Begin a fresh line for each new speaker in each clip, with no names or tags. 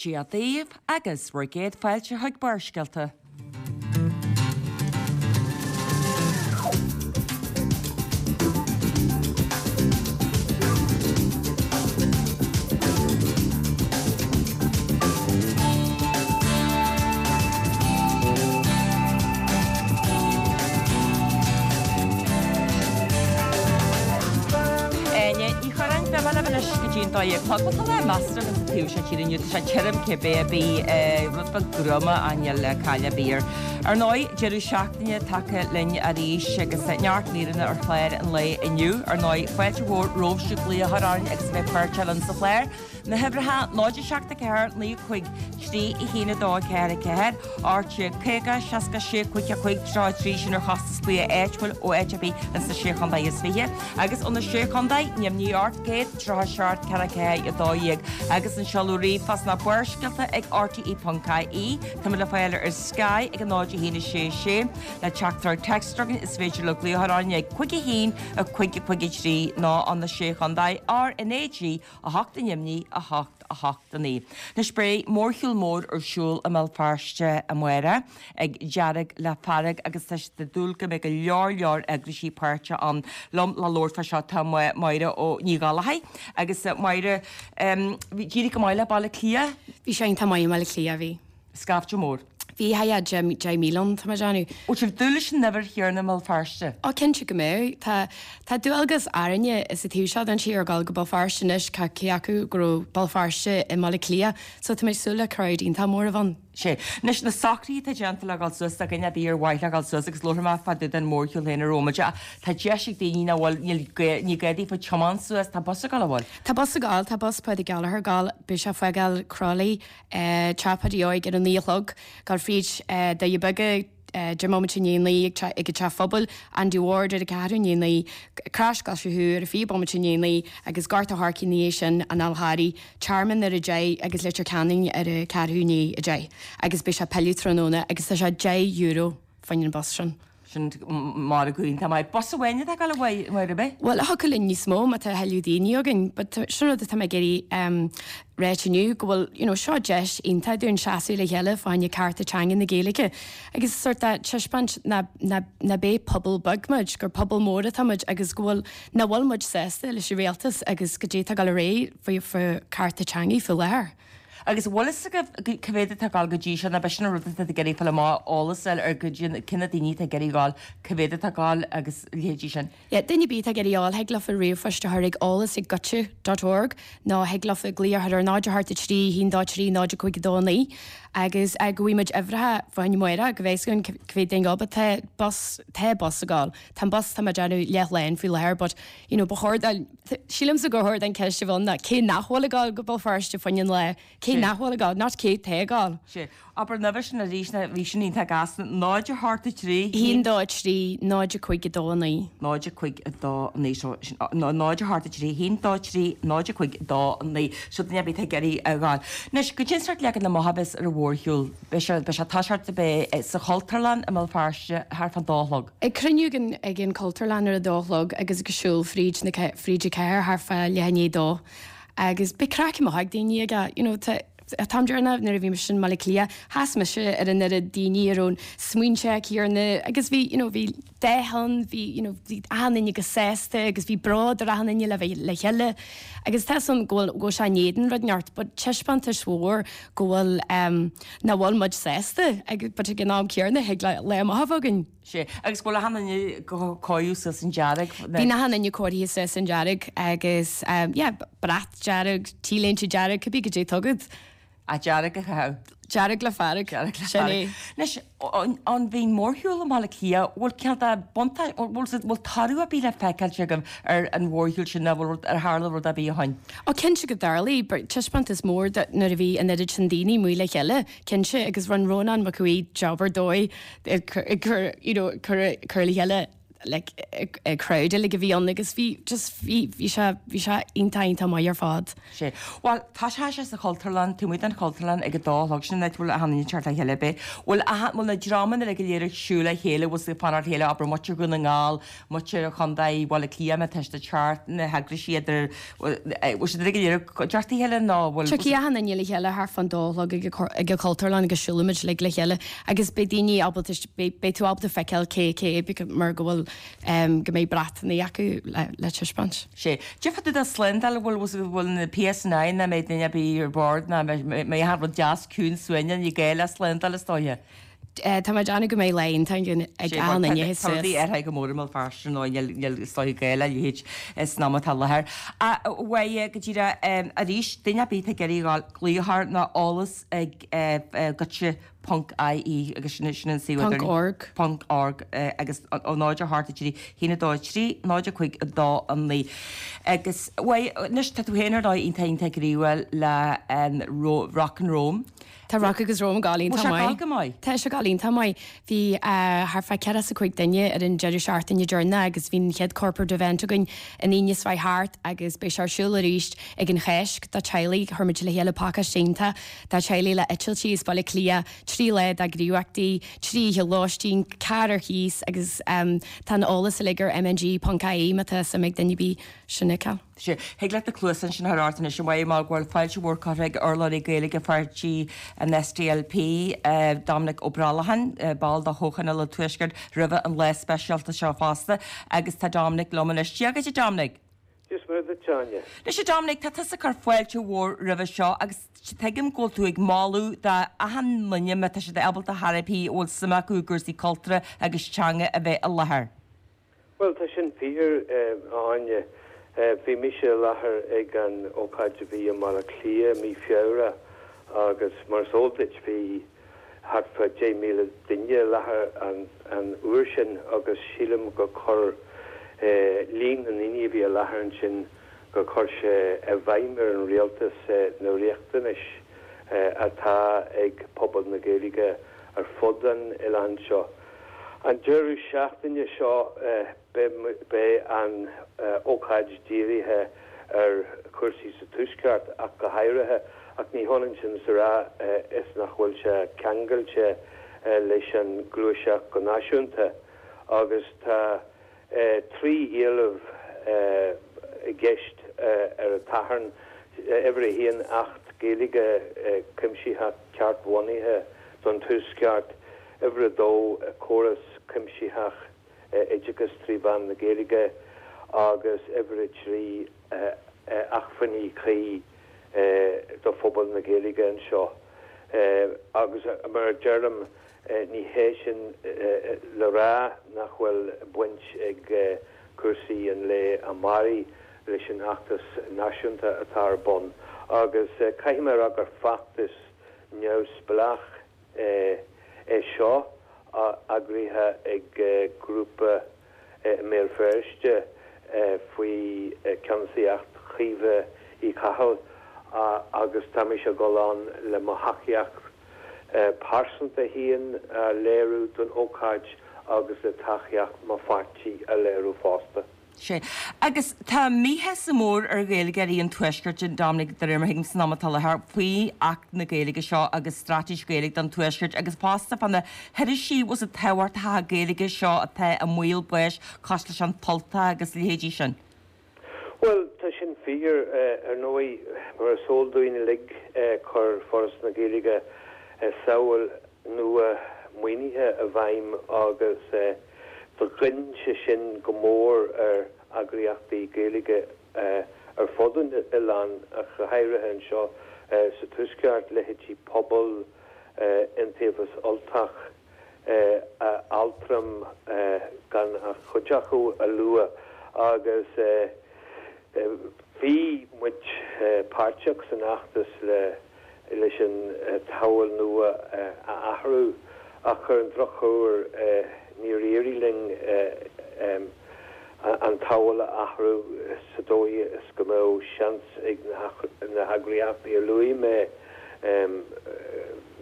Dia daoibh agus bhur gcéad fáilte chuig Barrscéalta. Áine Ní Churráin, beidh mé libh anois go dtí an 12 a chlog. Bhuel, tá lá measartha againn sa taobh seo tíre inniu. Tá sé tirim cibé ar bith, rud beag gruama ach níl caill ar bith air. Ar ndóigh, deireadh seachtaine tagtha linn arís agus neart míreanna ar chlár an lae inniu. Ar ndóigh, fáilte mhór romhaibh siúd glaoch a chur orainn agus a bheith páirteach linn sa chlár. Na huimhreacha, 0 7 4 9 5 3 1 2 4 4, 18 50 66 5 5 33, sin ar chostas glaoch áitiúil ó áit ar bith ins na Sé Chontae is Fiche, agus ó na Sé Chontae, níl imní ort, 137 4 4 12, agus an seoladh ríomhphost ná Barrscéalta ag rte.ie. Táimid le fáil ar Sky ag 0 1 6 6. Le teachtaireacht téacs chugainn is féidir libh glaoch a chur orainn ag 5 1 5 5 3 nó ó na Sé Chontae, RnaG 8 i nDoimní, 8, 8, 9. Anois beidh mórshiúl mór ar siúl i mBéal Feirste amárach ag Dearg le Fearg agus tá siad ag dúil go mbeidh go leor leor eagraisí páirteach ann. Liom le labhairt fá seo tá Máire Ó Ní Ghallchóir agus Máire, bhí d'éirigh go maith le Baile Átha Cliath?
Bhí sé iontach maith i mBaile Átha Cliath, bhí.
Scaifte mór.
Bhí, yeah, 10,000 ann, tá mé ag déanamh.
Bhfuil sibh ag dúil leis an uimhir chéanna i mBéal Feirste?
Ó, cinnte go mbeidh. Tá, tá dualgas orainne sa taobh seo den tír a dhul go Béal Feirste anois, cá, cé acu go raibh Béal Feirste i mBaile Átha Cliath, so tá mé ag súil le crowd iontach mór a bheith ann.
Sea. Anois, na socruithe atá déanta le dhul suas, do dhuine ar bith ar mhaith leo dhul suas agus labharfaidh mé fá dtaobh den mhórshiúl féin ar bhomaite ach tá deis ag daoine nach bhfuil, níl gá, ní gá daofa tiomáint suas, tá bus ag dul, an bhfuil?
Tá bus ag dul, tá bus Paddy Gallagher ag dul, beidh sé ag fágáil Crolly, Teach Pháidí Óig ar a 9 a chlog, dul fríd Doirí Beaga, 10 mbomaite i ndiaidh a 9 ag an Teach Phobail, Andy Ward ar a ceathrú i ndiaidh a 9, Crois Glaise Thuaidh ar a 20 bomaite i ndiaidh a 9 agus Gort a' Choirce ina dhiaidh sin, an Fhál Charraigh, Tearmann ar a 10 agus Leitir Ceanainn ar a ceathrú i ndiaidh a 10 agus beidh sé ag pilleadh tráthnóna agus tá sé €10 fá choinne an bus sin.
Sin margadh iontach maith. Bus amháin atá ag dul a Mháire, ab é?
Bhuel, thiocfadh linn níos mó má tá a thuilleadh daoine againn, but sin rud atá mé ag iarraidh ráit inniu, go bhfuil, you know, seo deis iontach dúinn seasamh le chéile fá choinne cearta teanga na Gaeilge agus sort de taispeáint ná, ná, ná bé pobal beag muid, gur pobal mór atá muid agus go bhfuil, nach bhfuil muid sásta leis an rialtas agus goidé atá ag dul ar aghaidh faoi, faoi cearta teanga faoi láthair.
Agus an bhfuil fhios agaibh cá mhéad atá ag dul go dtí seo, nó b'é sin an rud atá ag iarraidh fáil amach, eolas a fháil ar goidé cé na daoine atá ag iarraidh dhul, cá mhéad atá ag dul agus a leithéidí sin.
Yeah, duine ar bith atá ag iarraidh dhul, thig leofa ríomhphost a chur ag eolas ag goitse dot org nó thig leofa glaoch a chur ar 0 8 3 1 2 3 0 5 2 9 agus go bhfaighidh muid uimhreacha fá choinne amárach go bhfeicfidh againn cá mhéad duine ag dul but tá bus, tá bus ag dul. Tá an bus, tá mé ag déanamh leathlán faoi láthair but you know ba chóir dul, Sílimse gur chóir don cheist a bheith ann ná cé nach bhfuil ag dul go Béal Feirste fá choinne an lá, cé nach bhfuil ag dul, not cé tá ag dul.
Sea. Abair an uimhir sin arís ná bhí sin iontach gasta. 0 8 3.
1 2 3 0 5 2 9.
0 5 2 9 so sin 0 8 3 1 2 3 0 5 2 9 so duine ar bith atá ag iarraidh a ghabháil. Anois, goidé an sórt leagan amach a bheas ar an mhórshiúl. Beidh sé beidh sé ag toiseacht beidh sa Chultúrlann i mBéal Feirste thart fán dó a chlog.
Ag cruinniú ag an ag an Chultúrlann ar a dó a chlog agus ag siúl fríd na fríd an chathair thart fá leath i ndiaidh a dó agus beidh craic maith ag daoine aige you know tá táim déarnach nuair a bhí mise i mBaile Átha Cliath sheas mise ar an oiread daoine a raibh an smaointe céanna agus bhí you know bhí dath ann, bhí you know bhí achan duine go sásta agus bhí bród ar achan duine le bheith le chéile agus tá 'fhios a'm go bhfuil go bhfuil sé in éadan rud inteacht but taispeántas mhór go bhfuil ehm nach bhfuil muid sásta agus but ag an am céanna thig le lá maith a bheith againn.
Sea, agus go bhfuil achan duine cóirithe suas in dearg.
Bíonn achan duine cóirithe suas in dearg agus ehm yeah brat dearg, T-léinte dearg, cibé goidé atá agat.
Ah, dearg a chaitheamh.
Dearg le fearg.
Dearg le fearg. Anois, an bhí an mórshiúl i mBaile Átha Cliath, bhfuil cineál de buntáiste, bhfuil bhfuil toradh ar bith le feiceáilt agaibh ar an mhórshiúl sin nó bhfuil rud, ar tharla rud ar bith ó shin?
Ó, cinnte go dtarlaigh, but taispeántas mór de nuair a bhí an oiread sin daoine amuigh le chéile, cinnte, agus rinne Rónán Mac Aodha Í job ar dóigh ag cur, you know, cur, cur le chéile. like crowd uilig a bhí ann agus bhí just bhí bhí sé bhí sé iontach iontach maith ar fad.
Sea. Bhuel, tá sé sé sa Chultúrlann, taobh amuigh den Chultúrlann ag a dó a chlog, sin an áit a bhfuil achan duine ag teacht le chéile, ab é? Bhfuil achan, bhfuil na dreamanna uilig go léir ag siúl le chéile, bhfuil siad ag fanacht le chéile, abair muintir Dhún na nGall, muintir Chontae Bhaile Átha Cliath, má tá siad ag teacht, na heagraisí idir, bhfuil siad uilig go léir ag teacht le chéile nó bhfuil.
Tiocfaidh achan duine le chéile thart fán dó a chlog ag an Chultúrlann agus siúlfaimid uilig le chéile agus beidh daoine ábalta, beidh tú ábalta feiceáil cé cé mar go bhfuil, go mbeidh bratanna acu le taispeáint.
Sea. Cad fá dtaobh de slándáil, bhfuil, bhfuil na PSNI nó mbeidh duine ar bith ar bord nó mbeidh achan rud deas ciúin suaimhneach, ní gá le slándáil is dóiche.
Tá mé ag déanamh go mbeidh lá iontach againn ag achan duine
suas. Tá rudaí athraithe go mór i mBéal Feirste ar ndóigh, níl is dóiche gá le leithéid san am atá i láthair. Bhuel, go díreach arís, duine ar bith atá ag iarraidh a dhul, glaoch air nó eolas ag goitse ponc ie agus sin sin an suíomh
Ponc idirlín. org.
Ponc org agus ó 0 8 3 1 2 3 0 5 2 9 agus bhuel anois tá tú féin ar ndóigh iontach iontach gníomhach le an Rock and Roam.
Tá Rock agus Roam ag gabháil iontach maith.
Bhfuil sé ag gabháil go maith?
Tá sé ag gabháil iontach maith. Bhí thart fá 45 duine ar an deireadh seachtaine deireanach agus bhí an chéad corporate event againn an Aoine seo chuaigh thart agus beidh sé ar siúl arís ag an Cháisc do teaghlaigh. Chuir muid le chéile pacáiste iontach do teaghlaigh le eitiltí as Baile Átha Cliath, 3 lá de ghníomhaíochtaí, 3 oíche lóistín, carr ar cíos agus tá an eolas uilig ar mng.ie má tá suim ag duine ar bith sin a fheiceáil.
Sea, thig leat na cluasáin sin a chur ort anois a Mháire mar go bhfuil fáilte mhór curtha ag urlabhraí Gaeilge pháirtí an SDLP, Dominic Ó Brollacháin, ball de Chomhthionól an Tuaiscirt, roimhe an lá speisialta seo fosta agus tá Dominic liom anois. Dia dhuit a Dominic!
Dia is Muire duit, a Áine.
Anois a Dominic, tá tusa ag cur fáilte mhór roimhe seo agus tuigim go bhfuil tú ag moladh d'achan nduine má tá siad ábalta chor ar bith a bhfuil suim acu i gcúrsaí cultúrtha agus teanga a bheith i láthair.
Bhuel, tá sin fíor, a Áine. Bhí mise i láthair ag an ócáid a bhí i mBaile Átha Cliath mí Feabhra agus mar is eol duit bhí thart fá 10,000 duine i láthair an uair sin agus sílim gur chuir líon na ndaoine a bhí i láthair ansin gur chuir sé i bhfeidhm ar an rialtas na riachtanais atá ag pobal na Gaeilge ar fud an oileáin seo. An deireadh seachtaine seo beidh an ócáid dírithe ar chúrsaí sa Tuaisceart ach go háirithe, ach ní hionann sin is a rá is nach bhfuil sé ceangailte leis an ghluaiseacht go náisiúnta agus tá 3 éileamh i gceist ar an tSatharn, Uimhir a haon, Acht Gaeilge cuimsitheach ceartbhunaithe don Tuaisceart, Uimhir a dó, córas cuimsitheach oideachais trí mheán na Gaeilge agus uimhir a 3, acmhainní cuí do phobal na Gaeilge anseo. Agus mar a deirim, ní hé sin le rá nach bhfuil baint ag cúrsaí an lae amáirigh leis an fheachtas náisiúnta atá ar bun. Agus caithfidh mé a rá gur feachtas neamhspleách é seo, eagraithe ag grúpa i mBéal Feirste faoi cheannasaíocht Chaoimhe Uí Chathail agus tá mise ag dul ann le mo thacaíocht pearsanta féin a léiriú don ócáid agus le tacaíocht mo pháirtí a léiriú fosta.
Sea. Agus tá míshásamh mór ar Ghaeilgeoirí an Tuaiscirt, a Dominic, de réir mar a thuigim san am atá i láthair, faoi Acht na Gaeilge seo agus Straitéis Gaeilge don Tuaisceart agus fosta fá na hirisí bhfuil siad tábhachtacha Gaeilge seo atá i mbaol báis cosúil leis an tUltach agus a leithéidí sin.
Bhuel, tá sin fíor. Ar ndóigh, mar is eol dúinn uilig, chuir Foras na Gaeilge samhail nua maoinithe i bhfeidhm agus do ghoin sé sin go mór ar eagraíochtaí Gaeilge ar fud an oileáin, ach go háirithe anseo sa Tuaisceart, leithéidí Pobal, Iontaobhas Ultach, Altram, gan ach cuid acu a lua, agus bhí muid páirteach san fheachtas le leis an tsamhail nua a athrú ach ar an drochuair níor éirigh linn an tsamhail a athrú sa dóigh is go mbeadh seans ag na heagraíochtaí a luaigh mé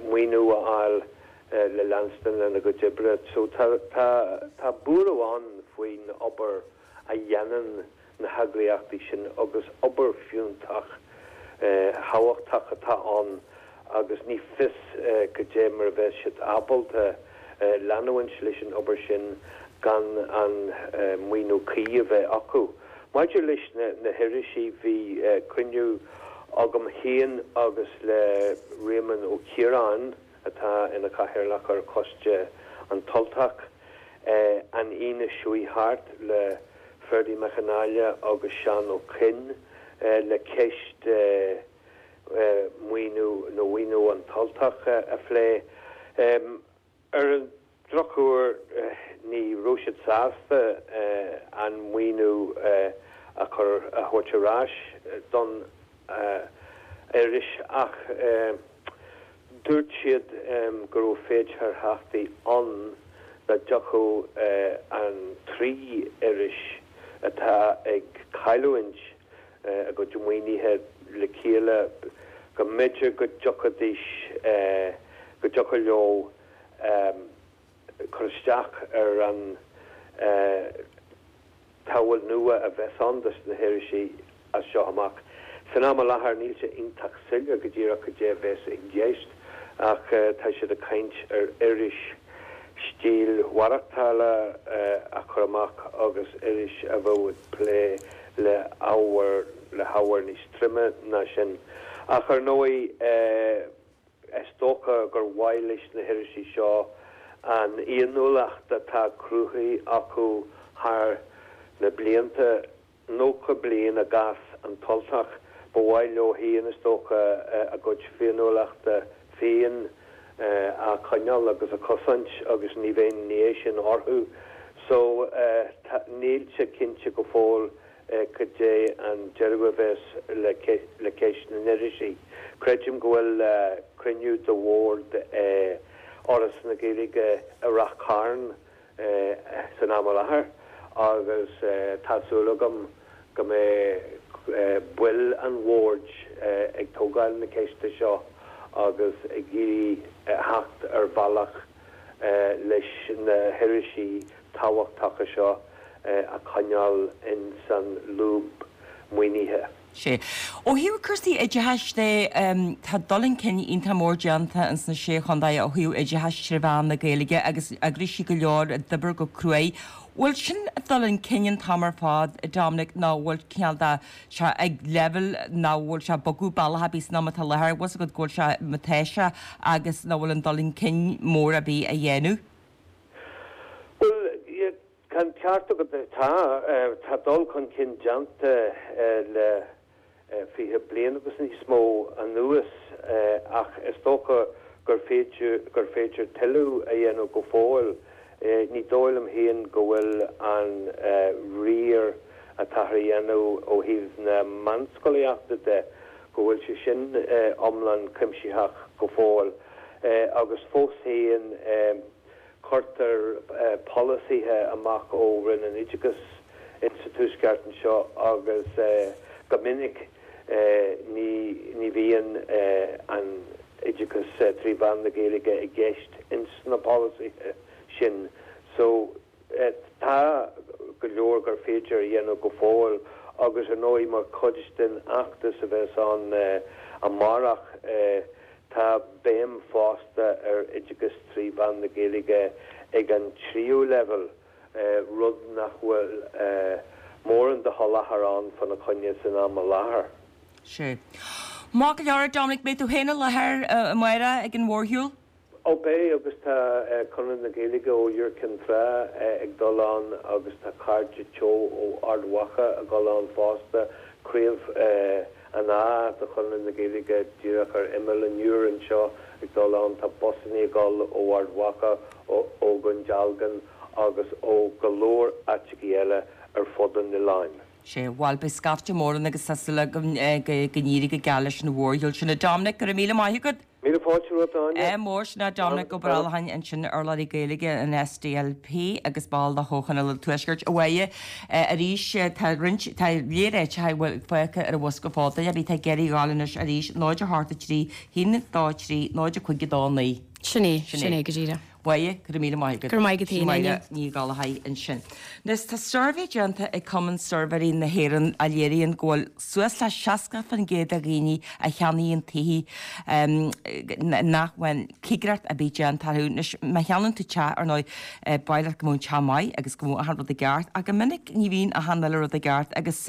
maoiniú a fháil. le leanstan lena gcuid oibre. So tá tá tá buaireamh ann faoin obair a dhéanann na heagraíochtaí sin agus obair fiúntach thábhachtach atá ann agus ní fios goidé mar a bheas siad ábalta leanúint leis an obair sin gan an maoiniú cuí a bheith acu. Maidir leis na hirisí, bhí cruinniú agam féin agus le Réamonn Ó Ciaráin, atá ina chathaoirleach ar choiste An tUltach, an Aoine seo thart le Ferdie Mac Con Aile agus Seán Ó Coinn le ceist maoiniú nó mhaoiniú An tUltach a phlé. Ar an drochuair ní raibh siad sásta an maoiniú a chur, a thabhairt ar ais don iris ach dúirt siad go raibh féidearthachtaí ann dá dtiocfadh an trí iris atá ag cailliúint a gcuid maoinithe le chéile go mb'fhéidir go dtiocfaidís, go dtiocfadh leo cur isteach ar an tsamhail nua a bheas ann dos na hirisí as seo amach. San am i láthair níl sé iontach soiléir go díreach cad é a bheas i gceist ach tá siad ag caint ar iris stíl mhaireachtála a chur amach agus iris a bheadh ag plé le ábhar le hábhar níos troime ná sin. Ach ar ndóigh is dócha gur mhaith leis na hirisí seo an fhéiniúlacht atá cruthaithe acu thar na blianta, 90 bliain i gcás An tUltach, ba mhaith leo féin is dócha a gcuid féiniúlachta féin a choinneáil agus a chosaint agus ní bheidh an ghné sin orthu. So níl sé cinnte go fóill cad é an deireadh a bheas le ceist na n-irisí. Creidim go bhfuil cruinniú de bhord Fhoras na Gaeilge i Rath Cairn san am i láthair agus tá súil agam go mbeidh baill an bhoird ag tógáil na ceiste seo agus ag iarraidh theacht ar bhealach leis na hirisí tábhachtacha seo a choinneáil ins an lúb maoinithe.
Sea. Ó thaobh cúrsaí oideachais de, tá dul chun cinn iontach mór déanta ins na Sé Chontae ó thaobh oideachais tré mheán na Gaeilge agus eagraíochtaí go leor ag obair go cruaidh. Bhfuil sin ag dul chun cinn an t-am ar fad, a Dominic, nó bhfuil cineál de sé ag leibhéal nach bhfuil sé ag bogadh bealach ar bith san am atá i láthair, bhfuil 's agat go bhfuil sé mar atá sé agus nach bhfuil an dul chun cinn mór ar bith á dhéanamh?
Bhuel, Tá an ceart agat, tá. Tá dul chun cinn déanta le 20 bliain agus níos mó anuas ach is dócha gur féidir gur féidir tuilleadh a dhéanamh go fóill. Ní dóigh liom féin go bhfuil an riar atáthar a dhéanamh ó thaobh na meánscolaíochta de, go bhfuil sé sin iomlán cuimsitheach go fóill. Agus fós féin, Cuirtear polasaithe amach ó Roinn an Oideachais insa Tuaisceart anseo agus go minic ní bhíonn an oideachas trí mheán na Gaeilge i gceist ins na polasaithe sin. So tá go leor gur féidir a dhéanamh go fóill agus ar ndóigh mar chuid den fheachtas a bheas ann amárach, Tá béim fosta ar oideachas trí mheán na Gaeilge ag an tríú leibhéal, rud nach bhfuil mórán de sholáthar ann fána choinne san am i láthair.
Sea. Maith go leor, a Dominic, beidh tú féin i láthair amárach ag an mhórshiúl?
Ó beidh, agus tá Conradh na Gaeilge ó Iúr Cinn Trá ag dul ann agus tá Cairde Teo ó Ard Mhacha ag dul ann fosta, Craobh an Átha de Chonradh na Gaeilge díreach ar imeall an Iúir anseo ag dul ann, tá busannaí ag dul ó Ard Mhacha, ó Dhún Dealgan agus ó go leor áiteachaí eile ar fud an oileáin.
Sea, bhuel, beidh scaifte mór ann agus tá súil agam go n-éirí go geal leis an mhórshiúl sin. A Dominic, go raibh míle maith agat!
Míle fáilte romhat, a Áine.
Ádh mór, sin é Dominic Ó Brollacháin ansin, urlabhraí Gaeilge an SDLP agus ball de Chomhthionól an Tuaiscirt. A Mháire, arís, tá roinnt, tá léir áiteacha a bhfuil fágtha ar an bhosca fód, duine ar bith atá ag iarraidh a ghabháil anois arís, 0 8 3 1 2 3 0 5 2 9.
Sin é, sin é go díreach.
Mháire, go raibh míle maith agat.
Go raibh maith agat
féin, Áine. Ní Ghallchóir ansin. Anois, tá suirbhé déanta ag Cumann Suirbhéirí na hÉireann a léiríonn go bhfuil suas le 60% de dhaoine a cheannaíonn tithe nach bhfuil cigireacht ar bith déanta orthu. Anois, má cheannaíonn tú teach, ar ndóigh, ba mhaith leat go mbeadh an teach maith agus go mbeadh achan rud i gceart, ach go minic ní bhíonn achan uile rud i gceart agus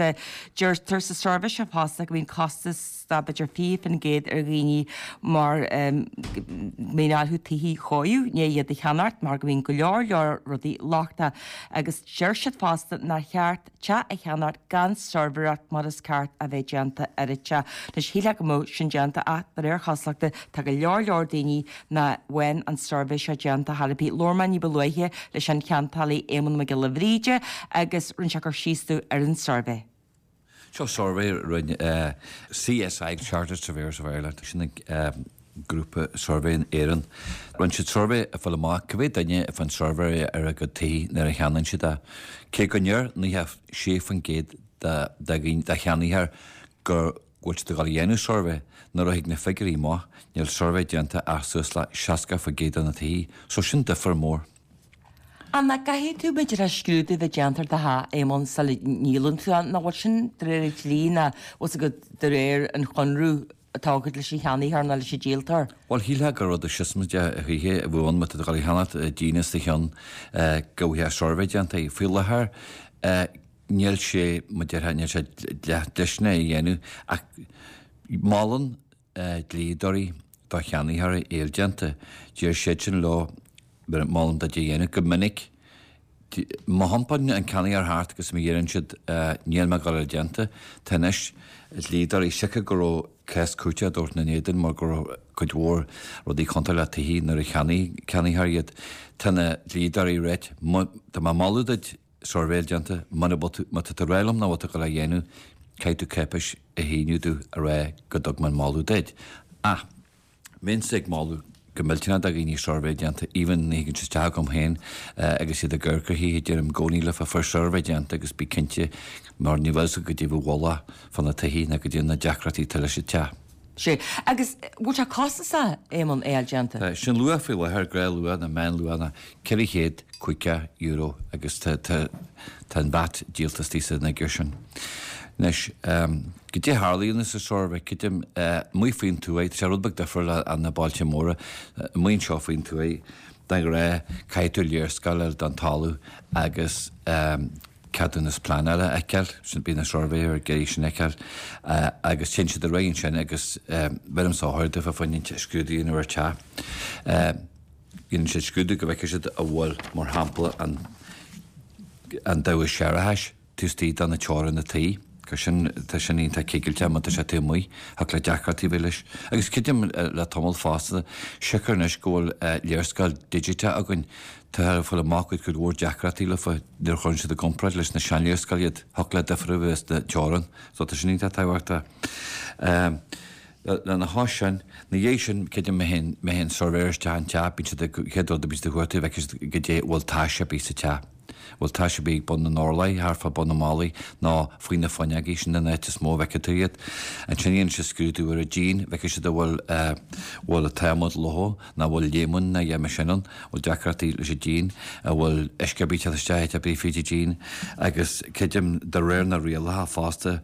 deirtear sa suirbhé seo fosta go mbíonn costas de b'fhéidir 20% ar dhaoine mar go mbíonn orthu tithe a chóiriú i ndiaidh iad a cheannacht mar go mbíonn go leor leor rudaí lochtach agus deir siad fosta nár cheart teach a cheannacht gan suirbhéireacht mar is ceart a bheith déanta ar an teach. Anois shílfeá go mbeadh sin déanta ach de réir chosúlachta tá go leor leor daoine nach bhfuil an suirbhé seo déanta chor ar bith. Labhair mé ní ba luaithe leis an cheantálaí Éamonn Mac Giolla Bhríde agus rinne sé cur síos domh ar an suirbhé.
Seo suirbhé a rinne CSI, Chartered Surveyors of Ireland, sin an grúpa suirbhé in Éirinn. Rinne siad suirbhé ag fáil amach cá mhéad duine a fhaigheann suirbhé ar a gcuid tithe nuair a cheannaíonn siad é. Cé go ndeir 96% de cheannaitheoirí go bhfuil siad ag dul a dhéanamh suirbhé, nuair a thig na figiúirí amach, níl suirbhé déanta ach suas le 60% de na tithe. So sin difear mór.
An nach gcaithfidh tú b'fhéidir scrúdú a bheith déanta ar do theach, Éamonn, sula ndíolann tú é? Nach bhfuil sin de réir an dlí ná bhfuil 's agat de réir an chonradh atá agat leis an cheannaitheoir nó leis an díoltóir?
Bhuel, shílfeá gur rud siosmaideach a choíche a bheadh ann má tá tú ag dul a cheannacht díon os do chionn go bhfuil suirbhé déanta. Faoi láthair níl sé, mar déarfá, níl sé dlisteanach é a dhéanamh ach molann dlíodóirí do cheannaitheoirí é a fháil déanta. Deir siadsan leo, molaim duit é a dhéanamh. Go minic, má thiompánn an ceannaitheoir thart agus má dheireann siad níl mé ag dul é a fháil déanta, tá anois dlíodóirí, siocair go raibh cás cúirte á dtabhairt ina n-éadan mar go raibh cuid mhór rudaí contúirteach le tithe nuair a cheannaigh ceannaitheoirí iad, tá na dlíodóirí ag ráit, tá mé ag moladh duit, suirbhé déanta, muna bhfuil tú, má tá tú ag rá liom nach bhfuil tú ag dul á dhéanamh, caithfidh tú cáipéis a shíniú domh a rá go dtug mé an moladh duit. Ach, bheinnse ag moladh go millteanach do dhaoine suirbhé déanta, even nuair a thigeann siad isteach chugam féin agus iad ag amharc ar thithe, deirim i gcónaí leofa fair suirbhé déanta agus bí cinnte mar ní bhfuil 's agat goidé bhí i bhfolach fá na tithe ná goidé na deacrachtaí atá leis an teach.
Sea. Agus bhfuil sé costasach, Éamonn, é a fháil déanta?
Tá. Sin luach faoi láthair, gnáthluach nó meánluach ná €450 agus tá, tá, tá an VAT díolta istigh san fhigiúr sin. Anois, goidé a tharlaíonn sa suirbhé, creidim, amuigh faoin tuaith, tá sé rud beag difriúil le na bailte móra, amuigh anseo faoin tuaith, de ghnáth, caithfidh tú léarscáil a fháil den talamh agus, ceadúnas pleanála a fheiceáil, sin bíonn na suirbhéirí ag iarraidh sin a fheiceáil agus téann siad ar aghaidh ansin agus bheirimse ordú fá choinne scrúdú a dhéanamh ar teach. Dhéanann siad scrúdú go bhfeicfidh siad an bhfuil, mar shampla, an an damhas séarachais taobh istigh de na teorainn na tí, gur sin, tá sin iontach cigilteach má tá sé taobh amuigh, thiocfadh le deacrachtaí a bheith leis. Agus creidim le tamall fosta, siocair anois go bhfuil léarscáil digiteach againn, Tá ag fáil amach go bhfuil cuid mhór deacrachtaí leofa nuair a chuireann siad i gcomparáid leis na seanléarscáil iad, thiocfadh le difear a bheith sna teorainn so tá sin iontach tábhachtach. Lena chois sin, ina dhiaidh sin, creidim má théann, má théann suirbhéir isteach an teach, bíonn siad ag, chéad rud a bíonn siad ag cuartú, bhfeicfidh siad goidé bhfuil tais ar bith sa teach. Bhfuil tais ar bith ag bun na n-orláí, thart fá bun na mballaí nó faoi na fuinneogaí, sin an áit is mó a bhfeicfidh tú iad. Ansin dhéanann siad scrúdú ar an díon, bhfeicfidh siad an bhfuil, bhfuil an t-adhmad lofa nó an bhfuil léimeann nó a dhath mar sin ann, an bhfuil deacrachtaí leis an díon, an bhfuil uisce ar bith ag teacht isteach áit ar bith fríd an díon agus creidim de réir na rialacha fosta,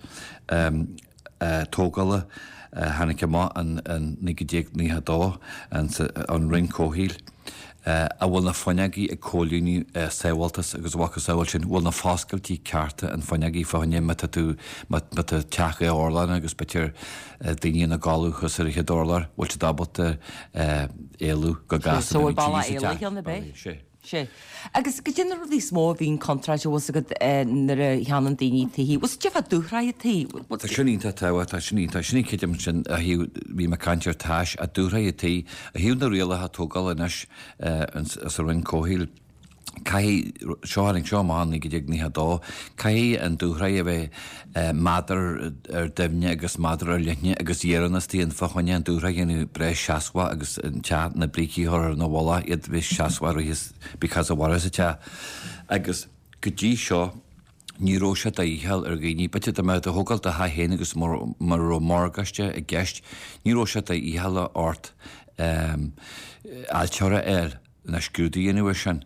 tógála a tháinig amach in 1992 ón Roinn Comhshaoil, an bhfuil na fuinneogaí ag comhlíonadh sábháltas agus a mhacasamhail sin, bhfuil na foscailtí cearta an fuinneogaí fá choinne má tá tú, má tá teach dhá urlár ann agus b'fhéidir daoine ina gcodladh thuas ar an chéad urlár, bhfuil siad ábalta éalú go gasta
So bhfuil bealach éalaithe ann, ab é? Sea. Agus goidé na rudaí is mó a bhíonn contráilte, bhfuil 's agat, nuair a cheannaíonn daoine tithe, bhfuil 's agat fá dúshraith tí?
Tá sin iontach tábhachtach, tá sin iontach, sin an creidim sin ó thaobh, bhí mé ag caint ar tais, a dúshraith tí, ó thaobh na rialacha tógála anois sa Roinn Comhshaoil, caithfidh, seo, tháinig seo amach in 1992, caithfidh an dúshraith a bheith méadar ar doimhne agus méadar ar leithne agus iarann istigh ann fá choinne an dúshraith a dhéanamh breá seasmhach agus an teach, na brící a chur ina mhullach, iad bheith seasmhach rith because a mhairfeas an teach. Agus go dtí seo ní raibh sé de dhícheall ar dhaoine, b'fhéidir dá mbeadh tú ag thógáil do theach féin agus mura raibh morgáiste i gceist, ní raibh sé de dhícheall ort. ailtire a fháil ná scrúdú a dhéanamh air sin.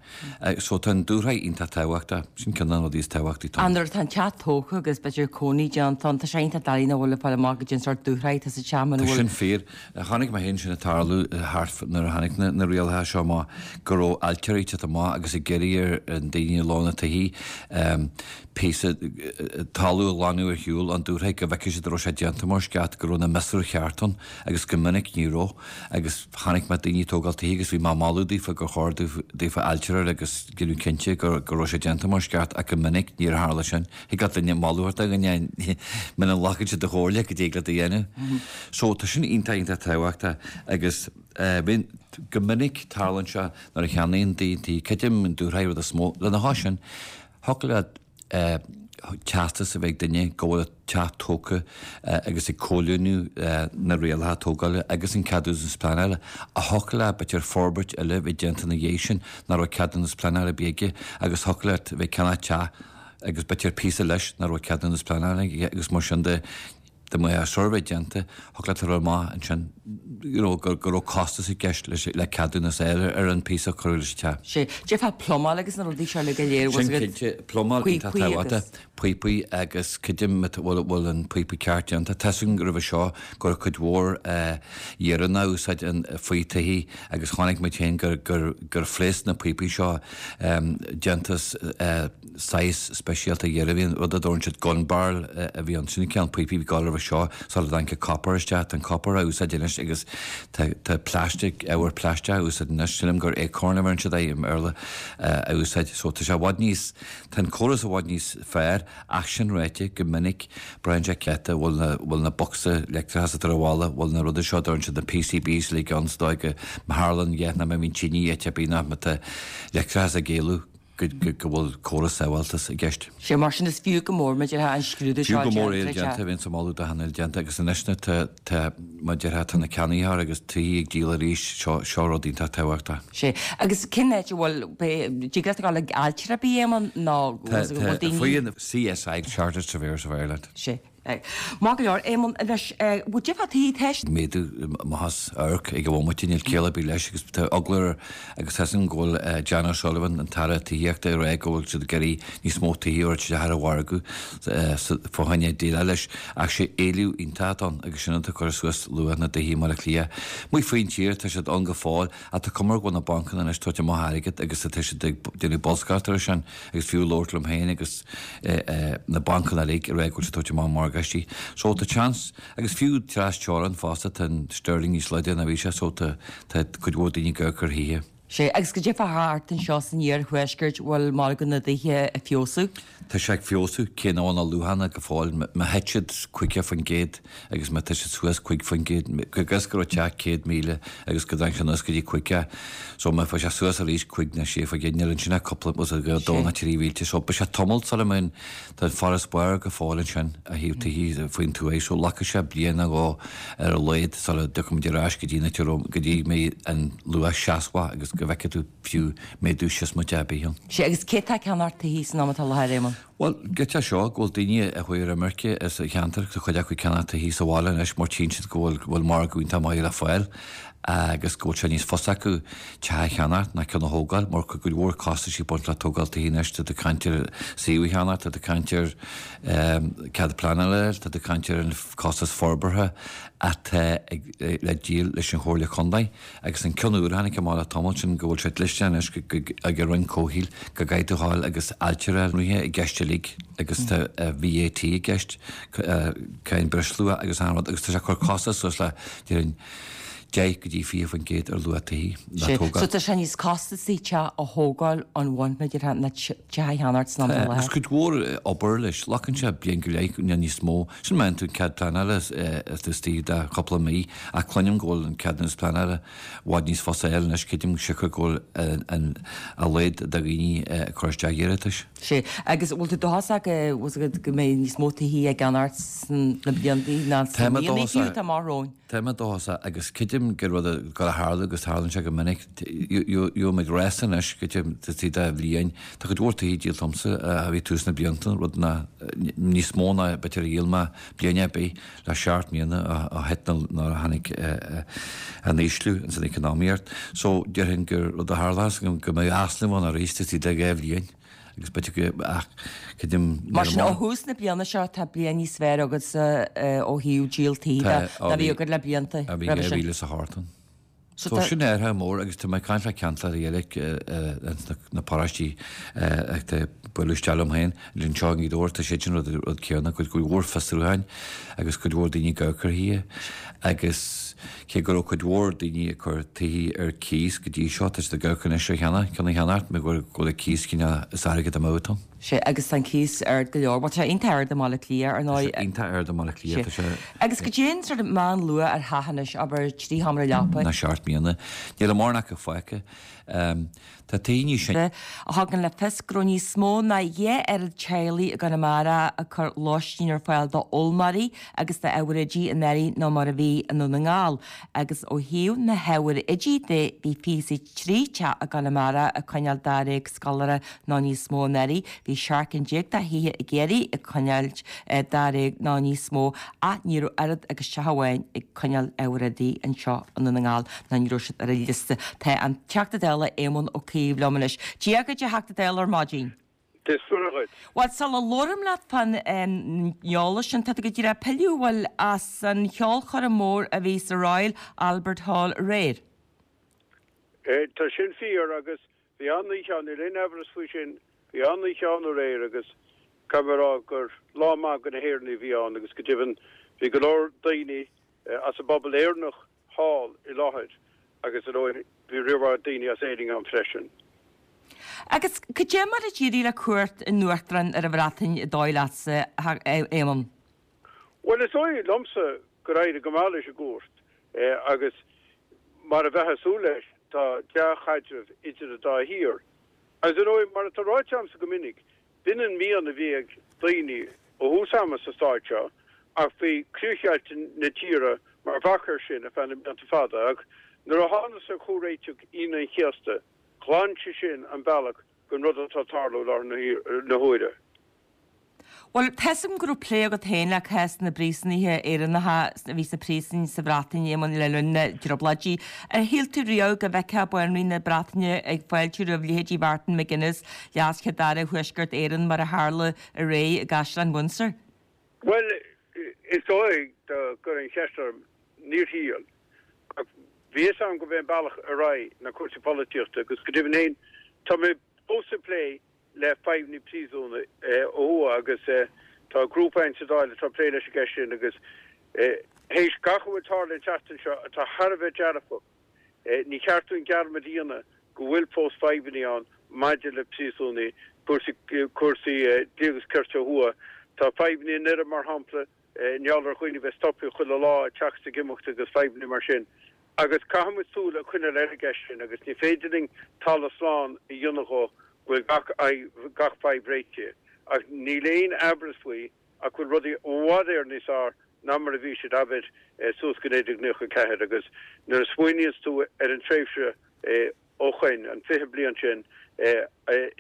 So tá an dúshraith iontach tábhachtach. Sin ceann de na rudaí is tábhachtaí
atá ann. Nuair atá an teach tógtha agus b'fhéidir cónaí déanta ann, tá sé iontach doiligh nach bhfuil le fáil amach goidé an sórt dúshraith atá sa teach muna
Tá
bhfuil.
sin fíor. Chonaic mé féin sin ag tarlú thart nuair a tháinig na rialacha seo amach go raibh ailtirí ag teacht amach agus ag iarraidh ar an daoine a lán na tithí píosa talamh a ghlanadh ar shiúl ón dúshraith go bhfeicfeadh siad an raibh sé déanta mar is ceart, go raibh na miosúir cheart ann agus go minic ní raibh agus chonaic mé daoine ag tógáil tithí agus bhí mé ag moladh daofa gur chóir daofa ailtire a fháil agus déanamh cinnte go raibh sé déanta mar is ceart ach go minic níor tharla sin. Thig leat duine moladh a thabhairt do dhuine muna nglacann siad do chomhairle cad é a thig leat a dhéanamh. So tá sin iontach iontach tábhachtach agus bíonn go minic tarlaíonn sé nuair a cheannaíonn daoine tí, creidim an dúshraith rud is mó. Lena chois sin, thiocfadh leat teastas a bheith ag duine go bhfuil a teach tógtha agus ag comhlíonadh na rialacha tógála agus an ceadúnas pleanála ach thiocfadh leat b'fhéidir forbairt eile a bheith déanta ina dhiaidh sin nach raibh ceadúnas pleanála ar bith aige agus thiocfadh leat bheith ag ceannach teach agus b'fhéidir píosa leis nach raibh ceadúnas pleanála aige agus mar sin de dá mbeadh suirbhé déanta thiocfadh leat a rá amach ansin you know go go raibh costas i gceist leis le ceadúnas a fháil ar an píosa a cuireadh leis an teach.
Sea. Déarfá plumáil agus na rudaí seo uilig go léir
Sin cinnte, plumáil iontach tábhachtach, píopaí agus creidim bhfuil bhfuil an píopa ceart déanta. Tá 'fhios agam roimhe seo go raibh cuid mhór iarann á úsáid faoi tithí agus chonaic muid féin gur gur gur phléasc na píopaí seo déanta as saghas speisialta iarainn a bhí ann, rud a dtabharann siad gun barrel a bhí ann. Sin an cineál píopaí a bhí ag gabháil roimhe seo sula dtáinig an copper isteach. Tá an copper á úsáid anois agus tá tá plastic, ábhar plaisteach á úsáid anois. Sílim gur acorn a bheireann siad air i mBéarla a úsáid. So tá sé i bhfad níos, tá an córas i bhfad níos fearr ach sin ráite, go minic braitheann sé cé acu bhfuil na, bhfuil na bocsa leictreachais atá ar an bhalla, bhfuil na rudaí seo a dtabharann siad na PCBs uilig ann sa dóigh go má tharlaíonn a dhath nó má bhíonn tine áit ar bith nó má tá leictreachas ag éalú. go bhfuil córas sábháilteachta i gceist.
Sea, mar sin is fiú go mór, mar a déarfá, an scrúdú
seo Fiú go mór é déanta, bheinnse ag moladh do achan duine déanta agus anois na tá, tá, mar a déarfá, tá na ceannaitheoirí agus tithí ag díol arís, seo, seo rud iontach tábhachtach.
Sea, agus cén áit a bhfuil, dtig leat a ghabháil ag ailtire ar bith, Éamonn, nó
Tá, tá, bhfuil daoine. Faoi an CSI, Chartered Surveyors of Ireland.
Sea. Maith go leor, Éamonn, anois, bhfuil difear taobh
theist? méadú amach as amharc ag an bhomaite, níl ciall ar bith leis agus tá eagla ar agus tá 'fhios agam go bhfuil Jan O'Sullivan, an tAire Tithíochta, ag rá go bhfuil siad ag iarraidh níos mó tithí a thabhairt isteach ar an mhargadh fá choinne déileáil leis ach sé éileamh iontach atá ann agus sin atá ag cur suas luach na dtithí i mBaile Átha Cliath. Amuigh faoin tír tá siad ann go fóill ach tá cuma air go bhfuil na bancanna anois ag tabhairt amach airgead agus tá siad ag déanamh bolscaireacht air sin. Agus fiú labhairt liom féin agus na bancanna uilig ag rá go bhfuil siad ag tabhairt amach morgáistí. So tá chance, agus fiú tras teorann fosta, tá an sterling níos láidre ná bhí sé so tá tá cuid mhór daoine ag amharc ar thithe.
Sea, agus goidé fá thart anseo san iarthuaisceart, bhfuil margadh na dtithe ag feabhsú?
Tá sé ag feabhsú, cé nach bhfuil na luachanna go fóill, má thit siad 50% agus má tá siad suas 5%, go gcos go raibh teach 100,000 agus go dtáinig sé anuas go dtí 50, so má bheidh sé suas arís 5 nó 6%, níl ansin ach cúpla, bhfuil a fhios agat, dó nó trí mhílte, so beidh sé tamall sula mbeidh an, tá an farasbarr go fóill ansin ó thaobh tithí faoin tuaith, so glacfaidh sé bliain nó dhó ar a laghad sula dtiocfaimid ar ais go dtí na, go dtí go mbeidh an luach seasmhach agus go bhfeicfidh tú fiú méadú siosmaideach ar bith ann.
Sea, agus cé atá ag ceannacht tithí san am atá i láthair, Éamonn?
Bhuel, giota seo, go bhfuil daoine a chuaigh ar imirce as an cheantar, tá cuid acu ag ceannacht tithí sa bhaile anois mar tchíonn siad go bhfuil, go bhfuil margadh iontach maith le fáil agus go bhfuil sé níos fusa acu teach a cheannacht ná ceann a thógáil mar tá cuid mhór costais ag baint le tógáil tithí anois, tá tú ag caint ar suíomh a cheannacht, tá tú ag caint ar cead pleanála a fháil, tá tú ag caint ar an costas forbartha atá ag le díol leis an Chomhairle Contae. Agus an ceann úr a tháinig amach le tamall sin go bhfuil sé dlisteanach anois ag an Roinn Comhshaoil go gcaithfidh tú a ghabháil agus ailtire i gceist uilig agus tá VAT i gceist, cáin breisluacha agus achan rud agus tá sé ag cur costas suas le, déarfainn, 10 go dtí 20% ar luach tithí
le tógáil. So tá sé níos costasaí teach a thógáil ón bhun, mar a déarfá, ná teach a cheannacht san am
atá i láthair. Agus cuid mhór obair leis, glacann sé bliain go leith nó níos mó. Sin má fhaigheann tú an cead pleanála is tú istigh de chúpla mí, ach cluinim go bhfuil an ceadúnas pleanála i bhfad níos fusa a fháil anois, creidim siocair go bhfuil an a laghad de dhaoine ag cur isteach iarratais.
Sea, agus bhfuil tú dóchasach go bhfuil a fhios agat go mbeidh níos mó tithí á gceannacht sna blianta ná sna míonna fiú atá amach romhainn?
Tá mé dóchasach agus creidim. Creidim gur rud ag dul a tharlú agus tarlaíonn sé go minic. Gheobhaimid rása anois go dtí taobh de bhliain. Tá cuid mhór tithe díolta agamsa a bhí tús na blianta, rud nach níos mó ná b'fhéidir a dhíol mé bliain ar bith le seacht mbliana ó thit nuair a tháinig an ísliú ins an economaíocht. So déarfainn gur rud a tharlós go mbeidh easnamh ann arís taobh istigh de 2 bhliain agus b'fhéidir go ach creidim
Mar sin ó thús na bliana seo tá bliain níos fearr agatsa ó thaobh díol tí de ná bhí agat le blianta
roimhe sin. Bhí 2008 ann. So sin athrú mór agus tá mé ag caint le ceantair eile ins na paróistí atá ag bualadh isteach liom féin anseo i nGaoth Dobhair, tá siad sin rud rud céanna, cuid mhór fiosrúcháin agus cuid mhór daoine ag amharc ar thithe agus cé go raibh cuid mhór daoine ag cur tithe ar cíos go dtí seo, tá siad ag amharc anois ar cheannach, ceann a cheannacht mar go bhfuil an cíos cineál is airgead amú atá ann.
Sea, agus tá an cíos ard go leor. Bhuel, tá sé iontach ard i mBaile Átha Cliath, ar ndóigh.
Tá sé iontach ard i mBaile Átha Cliath, tá sé.
Agus goidé an sort meánluach ar theach anois, abair, 3 sheomra leapa.
Ná 7 mbliana. Níl mórán acu fágtha. Tá tithe níos
sine. a thugann le fios go raibh níos mó ná 2 oiread teaghlaigh i gConamara ag cur lóistín ar fáil d'fhoghlaimeoirí agus d'ábhair oidí anuraidh ná mar a bhí i nDún na nGall agus ó thaobh na hábhair oidí de bhí 23 teach i gConamara ag coinneáil dáréag scoláire nó níos mó anuraidh. Bhí 17 cinn de thithe i gCiarraí ag coinneáil dáréag nó níos mó ach ní raibh oiread agus teach amháin ag coinneáil ábhair oidí anseo i nDún na nGall ná ní raibh siad ar an liosta. Tá an Teachta Dála Éamon Ó Cuív liom anois. Dia dhuit a Theachta Dála ar maidin.
Dia is Muire dhuit.
Bhuel, sula labhraím leat fán eolas sin, tá tú go díreach ag pilleadh, bhuel, as an cheolchoirm mhór a bhí sa Royal Albert Hall aréir.
Tá sin fíor agus Bhí an-oíche ann, níl aon amhras faoi sin. Bhí an-oíche ann aréir agus caithfidh mé a rá gur lá maith do na hÉireannaigh a bhí ann agus go deimhin bhí go leor daoine as an bpobal Éireannach thall i láthair agus ar ndóigh bhí roinnt mhaith daoine as Éirinn ann freisin.
Agus cad é mar a d'éirigh le cuairt an Uachtaráin ar an Bhreatain an dóigh leatsa, a Éamoin?
Bhuel, is dóigh liomsa gur éirigh go maith leis an gcuairt agus mar a bheifeá ag súil leis, tá dea-chaidreamh idir an dá thír. Agus ar ndóigh, mar atá ráite agamsa go minic, b'in an mian a bhí ag daoine ó thús ama sa stát seo, ach bhí críochdheighilt na tíre mar bhac air sin ar feadh na mblianta fada. Ach nuair a thángthas ar Chomhréiteach Aoine an Chéasta, ghlan sé sin an bealach don rud atá ag tarlú i láthair na huaire.
Bhuel, tá's agam go raibh plé agat féin le cás na bpríosúnaithe Éireannacha a bhí sna príosúin sa Bhreatain, Éamonn, le linn na dTrioblóidí. Ar shíl tú riamh go bhfeicfeá Banríon na Breataine ag fáiltiú roimh leithéidí Mhartin McGuinness, Leas-Chéad-Aire Thuaisceart Éireann, mar a tharla aréir i gCaisleán Windsor?
Bhuel, is dóigh, dá gcuirfí an cheist orm, níor shíl. Ach bhí fhios agam gurb é an bealach ar aghaidh ná cúrsaí polaitíochta agus go deimhin féin, tá mé fós ag plé le fadhbanna príosúnaigh ó thuaidh agus tá grúpa againn sa Dáil atá ag plé leis an gceist sin agus théis gach a bhfuil tarlaithe an tseachtain seo atá thar a bheith dearfach, ní cheart dúinn dearmad a dhéanamh go bhfuil fós fadhbanna ann maidir le príosúnaigh, cúrsaí cúrsaí dlí agus cirt ó thuaidh. Tá fadhbanna i nDoire mar shampla i ngeall ar dhaoine a bheith stoptha chuile lá ag teacht is ag imeacht agus fadhbanna mar sin. Agus caithfidh muid súil a choinneáil ar an gceist sin agus ní féidir linn talamh slán a dhéanamh dhó go bhfuil gach gach fadhb réitithe. Ach níl aon aimhreas faoi ach go bhfuil rudaí i bhfad Éireann níos fearr ná mar a bhí siad, abair, suas go 1994. Agus nuair a smaoiníonns tú ar an tréimhse ó shoin, an 20 bliain sin,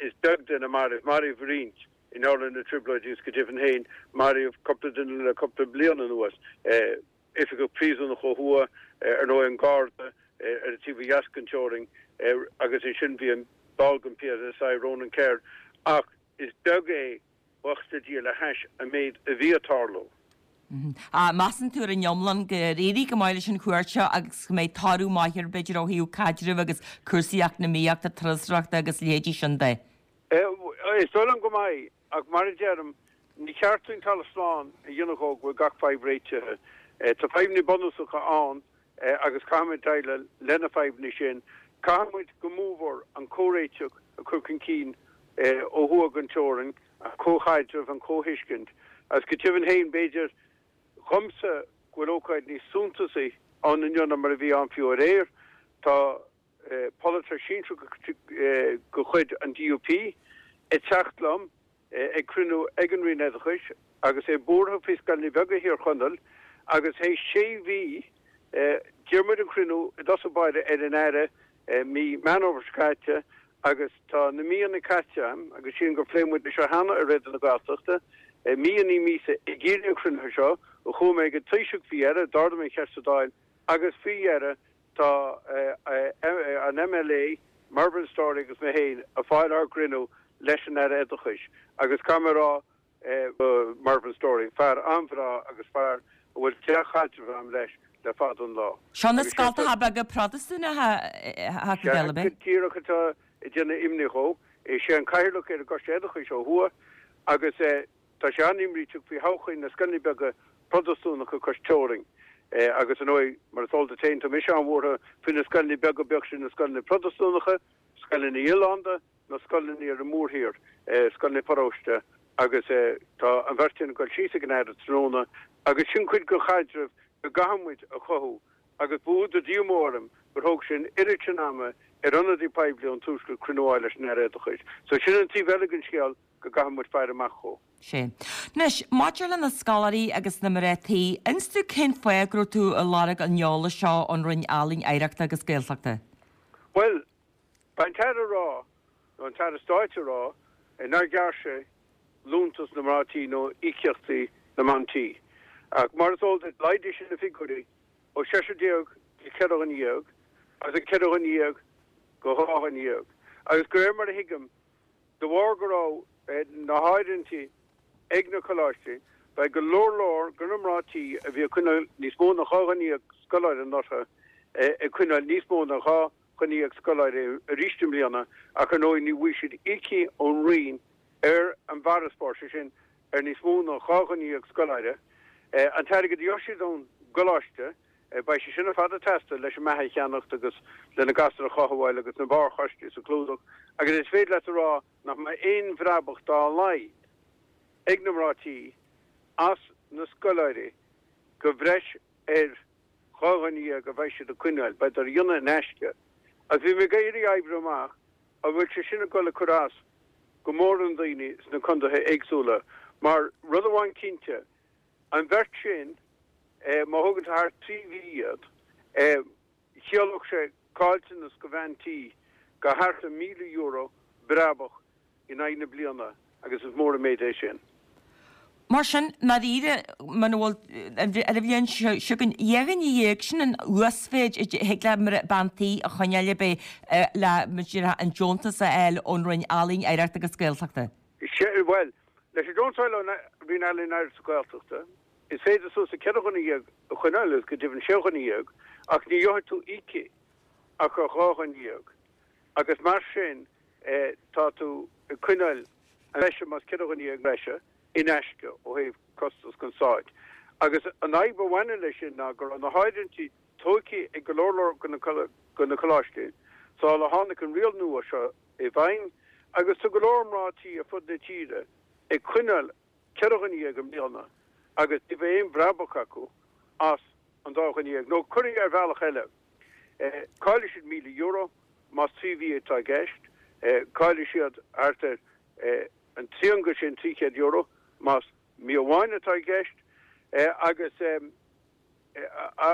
is beag duine marbh, maraíodh roinnt, I ngeall ar na Trioblóidí agus go deimhin féin maraíodh cúpla duine le cúpla bliain anuas, oifigeach príosúnach ó thuaidh, ar ndóigh an Garda ar an taobh ó dheas den teorainn agus ansin bhí an ball den PSI, Ronan Kerr, ach is beag é, buíochas le Dia, le hais an méid a bhí ag tarlú.
Measann tú ar an iomlán gur éirigh go maith leis an chuairt seo agus go mbeidh toradh maith air b'fhéidir ó thaobh caidrimh agus cúrsaí eacnamaíochta, turasóireachta agus leithéidí sin de?
Is dóigh liom go mbeidh, ach mar a deirim, ní cheart dúinn talamh slán a dhéanamh dhó go bhfuil gach fadhb réitithe. Tá fadhbanna bunúsacha ann agus caithfimid déileáil le na fadhbanna sin. Caithfimid go mórmhór an comhréiteach a chur chun cinn ó thuaidh den teorainn, an comhchaidreamh, an chomhthuiscint. Agus go deimhin féin, b'fhéidir dhomsa go bhfuil ócáid níos suntasaí ann inniu ná mar a bhí ann fiú aréir. Tá. polaiteoir sinsearach de chuid an DUP ag teacht liom ag cruinniú ag an Roinn Oideachais agus é buartha faoi scoileanna beaga Thír Chonaill agus théis sé mhí. D'iarr muid an cruinniú i dtosach báire ar an Aire mí Meán Fhómhair seo caite agus tá na míonna caite agam, agus sílim gur phléigh muid é seo cheana ar Raidió na Gaeltachta, mí i ndiaidh míosa ag iarraidh an chruinnithe seo. Chuaigh mé ag an Taoiseach faoi dheireadh, d'ardaigh mé an cheist sa Dáil agus faoi dheireadh tá an MLA Mervyn Storey agus mé féin ag fáil ár gcruinniú leis an Aire Oideachais agus caithfidh mé a rá Mervyn Storey, fear an-bhreá agus fear a bhfuil dea-chaidreamh agam leis le fada an lá.
Seo na scoltacha beaga Protastúnacha a Theachta Dála, ab
é? Sea, go díreach atá ag déanamh imní dhó. Is é an cathaoirleach ar an gCoiste Oideachais ó thuaidh agus tá sé an-imríteach faoi thodhchaí na scoileanna beaga Protastúnacha cois teorainn. Agus ar ndóigh, mar is eol duit féin, tá mise an-bhuartha faoi na scoileanna beaga, bíodh sin na scoileanna Protastúnacha, scoileanna oileánda, na scoileanna ar an mórthír, scoileanna paróiste agus tá an bheirt againn ag dul síos ag an Aire tráthnóna agus sin cuid den chaidreamh go gcaithfidh muid a chothú agus ba údar díomá orm gur thóg sé an oiread sin ama ar ionadaí poiblí ón Tuaisceart cruinniú a fháil leis an Aire Oideachais. So sin an taobh eile den scéal go gcaithfidh muid faire amach dhó.
Sea. Anois, maidir le na scoláirí agus na mná tí, inis domh cén fáth go raibh tú ag lorg an eolais seo ón Roinn Ealaíon, Oidhreachta agus Gaeltachta?
Bhuel, Beidh an tAire ag rá, nó an tAire Stáit ag rá, nár ghearr sé liúntas na mná tí nó íocaíochtaí na mban tí. Ach mar is eol duit, laghdaigh sé na figiúirí ó seisear déag go cheithre dhuine dhéag agus ó cheithre dhuine dhéag go dhá dhuine dhéag. Agus de réir mar a thuigim, de bharr go raibh na háirithintí ag na coláistí, beidh go leor leor de na mná tí a bhí ag coinneáil níos mó ná dhá dhuine dhéag scoláire anuraidh ag coinneáil níos mó ná dhá dhuine dhéag scoláire arís i mbliana ach ar ndóigh ní bhfaighidh siad íocaíocht ón Roinn ar an bhfarasbarr, sé sin ar níos mó ná 12 dhuine scoláire. An t-airgead a gheobhaidh siad ón gcoláiste, beidh sé sin ar fad ag teastáil leis an mbeatha a cheannacht agus le na gasúir a chothabháil agus na barrchostais a chlúdach agus is féidir leat a rá nach mbeidh aon bhrabach dá laghad ag na mná tí as na scoláirí de bhreis ar 12 dhuine a bheidh siad ag coinneáil, beidh á dhéanamh in aisce. Agus bhí mé ag iarraidh a oibriú amach an bhfuil sé sin ag dul ag cur as go mór do dhaoine sna contaetha éagsúla, mar rud amháin cinnte, an bheirt sin, má thógann tú thar thrí mhí iad, chiallódh sé caillteanas do bhean tí de thart ar €1,000 brabach in aghaidh na bliana agus is mór an méid é sin.
Mar sin, ndáiríre, muna bhfuil, ar an bhliain seo chugainn, 12 dhuine, sin an uasmhéid a thig le bean tí a choinneáil ab é le, mar a déarfá, an deontas a fháil ón Roinn Ealaíon, Oidhreachta agus Gaeltachta.
Sea, bhuel, leis an deontas a fháil ón Roinn Ealaíon, Oidhreachta agus Gaeltachta, is féidir suas le 14 dhuine a choinneáil agus go deimhin 6 dhuine ach ní gheobhaidh tú íocaíocht ach ar 2 dhuine. Agus mar sin, tá tú ag coinneáil an bhreise, más 14 dhuine breise, in aisce ó thaobh costas don Stát. Agus an fhadhb a bhaineann leis sin ná go raibh na háirithintí tógtha ag go leor leor de na coláistí sula tháinig an riail nua seo i bhfeidhm agus tá go leor mná tí ar fud na tíre ag coinneáil 14 dhuine i mbliana agus ní bheidh aon bhrabach acu as an dá dhuine dhéag. Nó curtha ar bhealach eile, caillfidh siad €1,000 más trí mhí atá i gceist, caillfidh siad thart ar an trian de sin, €300, más mí amháin atá i gceist agus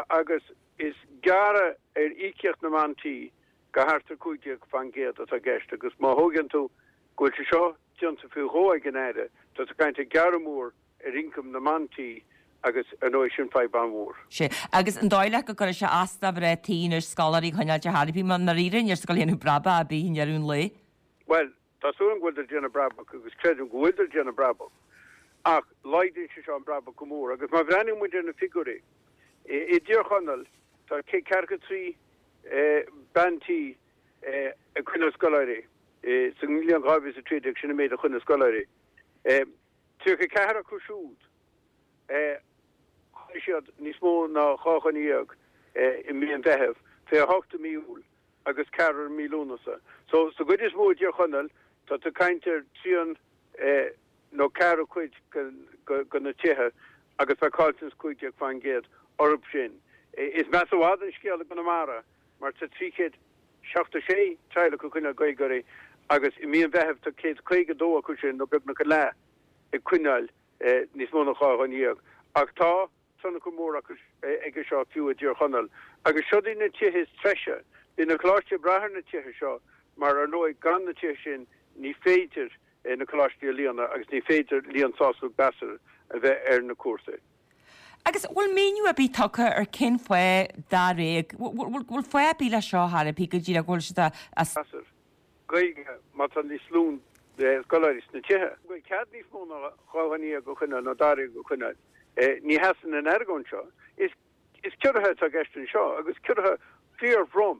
agus is gearradh ar íocaíocht na mban tí de thart ar 15% atá i gceist agus má thóigeann tú go bhfuil sé seo déanta faoi dhó ag an Aire, tá tú ag caint ar ghearradh mór ar ioncam na mban tí agus ar ndóigh sin fadhb an-mhór.
Sea, agus an dóigh leat go gcuirfidh sé as do mhná tí anois scoláirí a choinneáil ar chor ar bith, mar ndáiríre níl siad ag dul a dhéanamh brabach ar bith i ndeireadh an lae?
Bhuel, tá súil agam go bhfuiltear ag déanamh brabach agus creidim go bhfuiltear ag déanamh brabach ach laghdaíonn sé seo an brabach go mór agus má bhreathnaíonn muid ar na figiúirí, i dTír Chonaill tá 143 bean tí ag coinneáil scoláirí sa mbliain 2013, sin an méid a choinnigh scoláirí. 34 acu siúd, choinnigh siad níos mó ná 12 dhuine i mí an Mheithimh, 28 i mí Iúil agus ceathrar i mí Lúnasa. So, sa gcuid is mó i dTír Chonaill, tá tú ag caint ar trian nó ceathrú cuid de na tithe agus beidh caillteanas 15% orthu sin. Is measa i bhfad an scéal i gConamara mar tá 376 teaghlach ag coinneáil Gaeilgeoirí agus i mí an Mheithimh tá 152 acu sin, nó beagnach a leath, ag coinneáil níos mó ná 12 dhuine. Ach tá. tionchar mór acu aige seo fiú i dTír Chonaill agus siod iad na tithe is treise. Bíonn na coláistí ag brath ar na tithe seo mar ar ndóigh gan na tithe sin ní féidir na coláistí a líonadh agus ní féidir líon sásúil gasúr a bheith ar na cúrsaí.
Agus bhfuil míniú ar bith tugtha ar cén fáth dáréag, bhfuil fáth ar bith leis seo ar chor ar bith go díreach go bhfuil siad a.
Gasúr Gaeilge má tá níos lú scoláirí sna tithe. Go bhfuil cead níos mó ná 12 dhuine a choinneáil nó dáréag a choinneáil. Ní sheasann an argóint seo. Is is ciorruithe atá i gceist anseo agus ciorruithe fíorthrom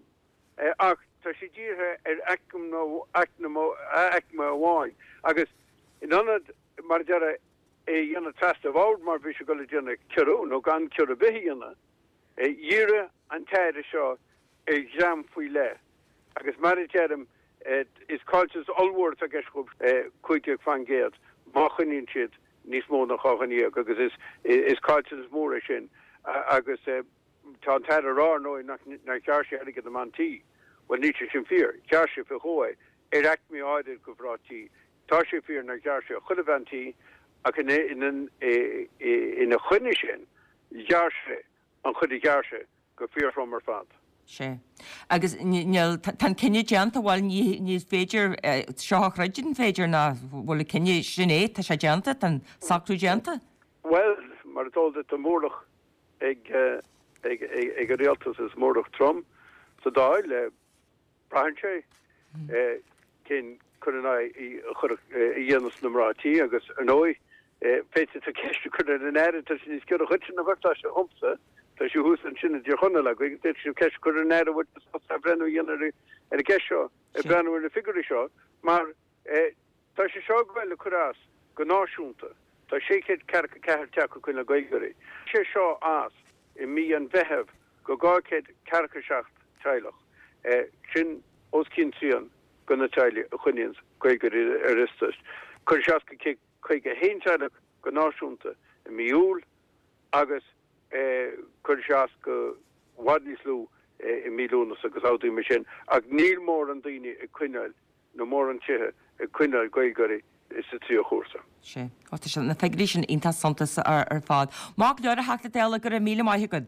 ach tá sé dírithe ar aicme aicme amháin agus in ionad mar a déarfá é a dhéanamh trasna an bhord mar bhí sé ag dul a déanamh ciorrú nó gan ciorrú ar bith a dhéanamh, dhírigh an tAire seo ar dhream faoi leith agus mar a deirim is caillteanas ollmhór atá i gceist dhóibh, 15% má choinníonn siad níos mó ná 12 dhuine agus is is caillteanas mór é sin agus tá an tAire ag rá ar ndóigh nár ghearr sé airgead na mban tí. Bhuel níl sé sin fíor, ghearr sé fé dhó é ar aicmí áirid de mhná tí. Tá sé fíor nár ghearr sé ar chuile bhean tí ach ina choinne sin ghearr sé an chuid a ghearr sé go fíorthrom ar fad.
Sea. Agus níl, tá an cinneadh déanta, bhuel ní, ní féidir seo a throid, an féidir ná bhfuil an cinneadh, sin é, tá sé déanta, tá an socrú déanta.
Bhuel, mar is eol duit, tá móramh ag, ag, ag an rialtas is móramh trom sa Dáil. Braitheann sé cén cur in aghaidh a chuirfeadh, a dhéanfas na mná tí agus, ar ndóigh, féadfaidh tú ceist a chur ar an Aire, tá sé níos giorra dhuitse ná mar atá sé dhomsa, tá sé thuas ansin i dTír Chonaill agaibh, agus d'fhéadfadh sibh ceist a chur ar an Aire an bhfuil sé sásta athbhreithniú a dhéanamh ar an gceist seo, ag breathnú ar na figiúirí seo, mar tá sé seo ag goil ag cur as go náisiúnta. Tá 644 teach ag coinneáil Gaeilgeoirí. Sé seo as i mí an Mheithimh go 247 teaghlach. Sin os cionn trian de na teaghlaigh a choinníonns Gaeilgeoirí ar iostas. Cuirfidh sé as go 151 teaghlach go náisiúnta i mí Iúil agus cuirfidh sé as go i bhfad níos lú i mí Lúnasa agus amhdaí mar sin. Ach níl mórán daoine ag coinneáil nó mórán tithe ag coinneáil Gaeilgeoirí sa tríú chúrsa.
Sea. Ó, tá sé, na figiúirí sin iontach suntasach ar fad. Maith go leor a Theachta Dála, go raibh míle maith agat.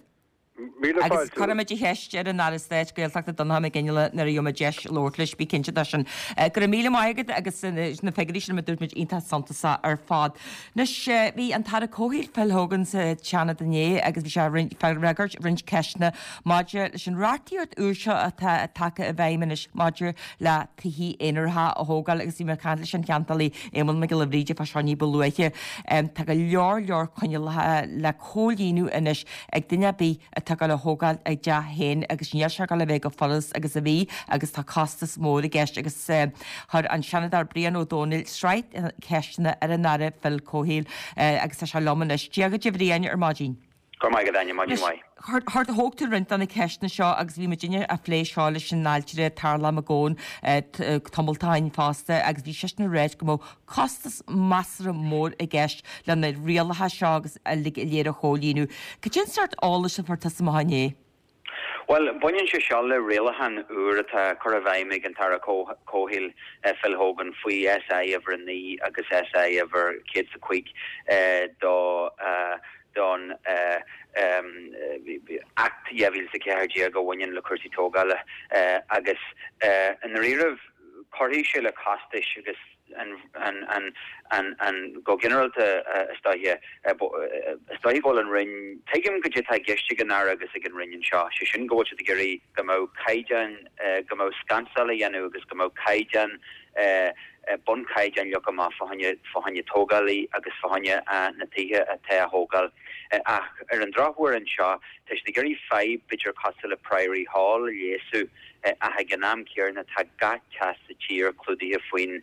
Míle
Agus fáilte. cuirfimid an cheist ar an Aire Stáit Gaeltachta Donnchadh Mac Fhionnghaile nuair a gheobhaimid deis labhairt leis, bí cinnte de sin. Go raibh míle maith agat agus na figiúirí sin mar a dúirt muid iontach suntasach ar fad. Anois, bhí an tAire Comhshaoil Phil Hogan sa tSeanad inné agus bhí sé ag freagairt roinnt ceisteanna maidir leis an reachtaíocht úr seo atá tagtha i bhfeidhm anois maidir le tithí aonaracha a thógáil agus bhí mé ag caint leis an cheantálaí Éamonn Mac Giolla Bhríde fá seo ní ba luaithe. Tá go leor leor coinníollacha le comhlíonadh anois ag duine ar bith atá ag dul a thógáil a dteach féin agus níl sé ag dul a bheith chomh furast agus a bhí agus tá costas mór i gceist agus chuir an Seanadóir Brian Ó Domhnaill sraith ceisteanna ar an Aire Phil Comhshaoil agus tá sé liom anois. Dia dhuit a Bhriain ar maidin.
Go raibh maith agat, Áine, maidin mhaith.
Thóg tú roinnt de na ceisteanna seo agus bhí muidinne a' phlé seo leis an ailtire Tarlach Mac Gabhann tamalt ó shin fosta agus bhí seisean ag ráit go mbeadh costas measartha mór i gceist le na rialacha seo agus uilig go léir a chomhlíonadh. Cad é an sórt eolais a fuair tusa amach inné?
Bhuel, baineann sé seo le rialachán úr atá curtha i bhfeidhm ag an tAire Comhshaoil, Phil Hogan, faoi SI uimhir 9 agus SI uimhir 105 do don Act 2014 a bhaineann le cúrsaí tógála agus i ndáiríribh cuirfidh sé le costais agus an, an, an, go ginearálta is dóiche, is dóiche go bhfuil an Roinn, tuigim goidé atá i gceist ag an Aire agus ag an Roinn anseo, sé sin go bhfuil siad ag iarraidh go mbeadh caighdeáin, go mbeadh scansáil á dhéanamh agus go mbeadh caighdeán, bunchaighdeán leagtha amach fá choinne, fá choinne tógálaí agus fá choinne na tithe atá á thógáil. Ach ar an drochuair anseo, tá siad ag iarraidh fadhb b'fhéidir cosúil le Priory Hall a leigheasú, Ach ag an am céanna tá gach teach sa tír clúdaithe faoin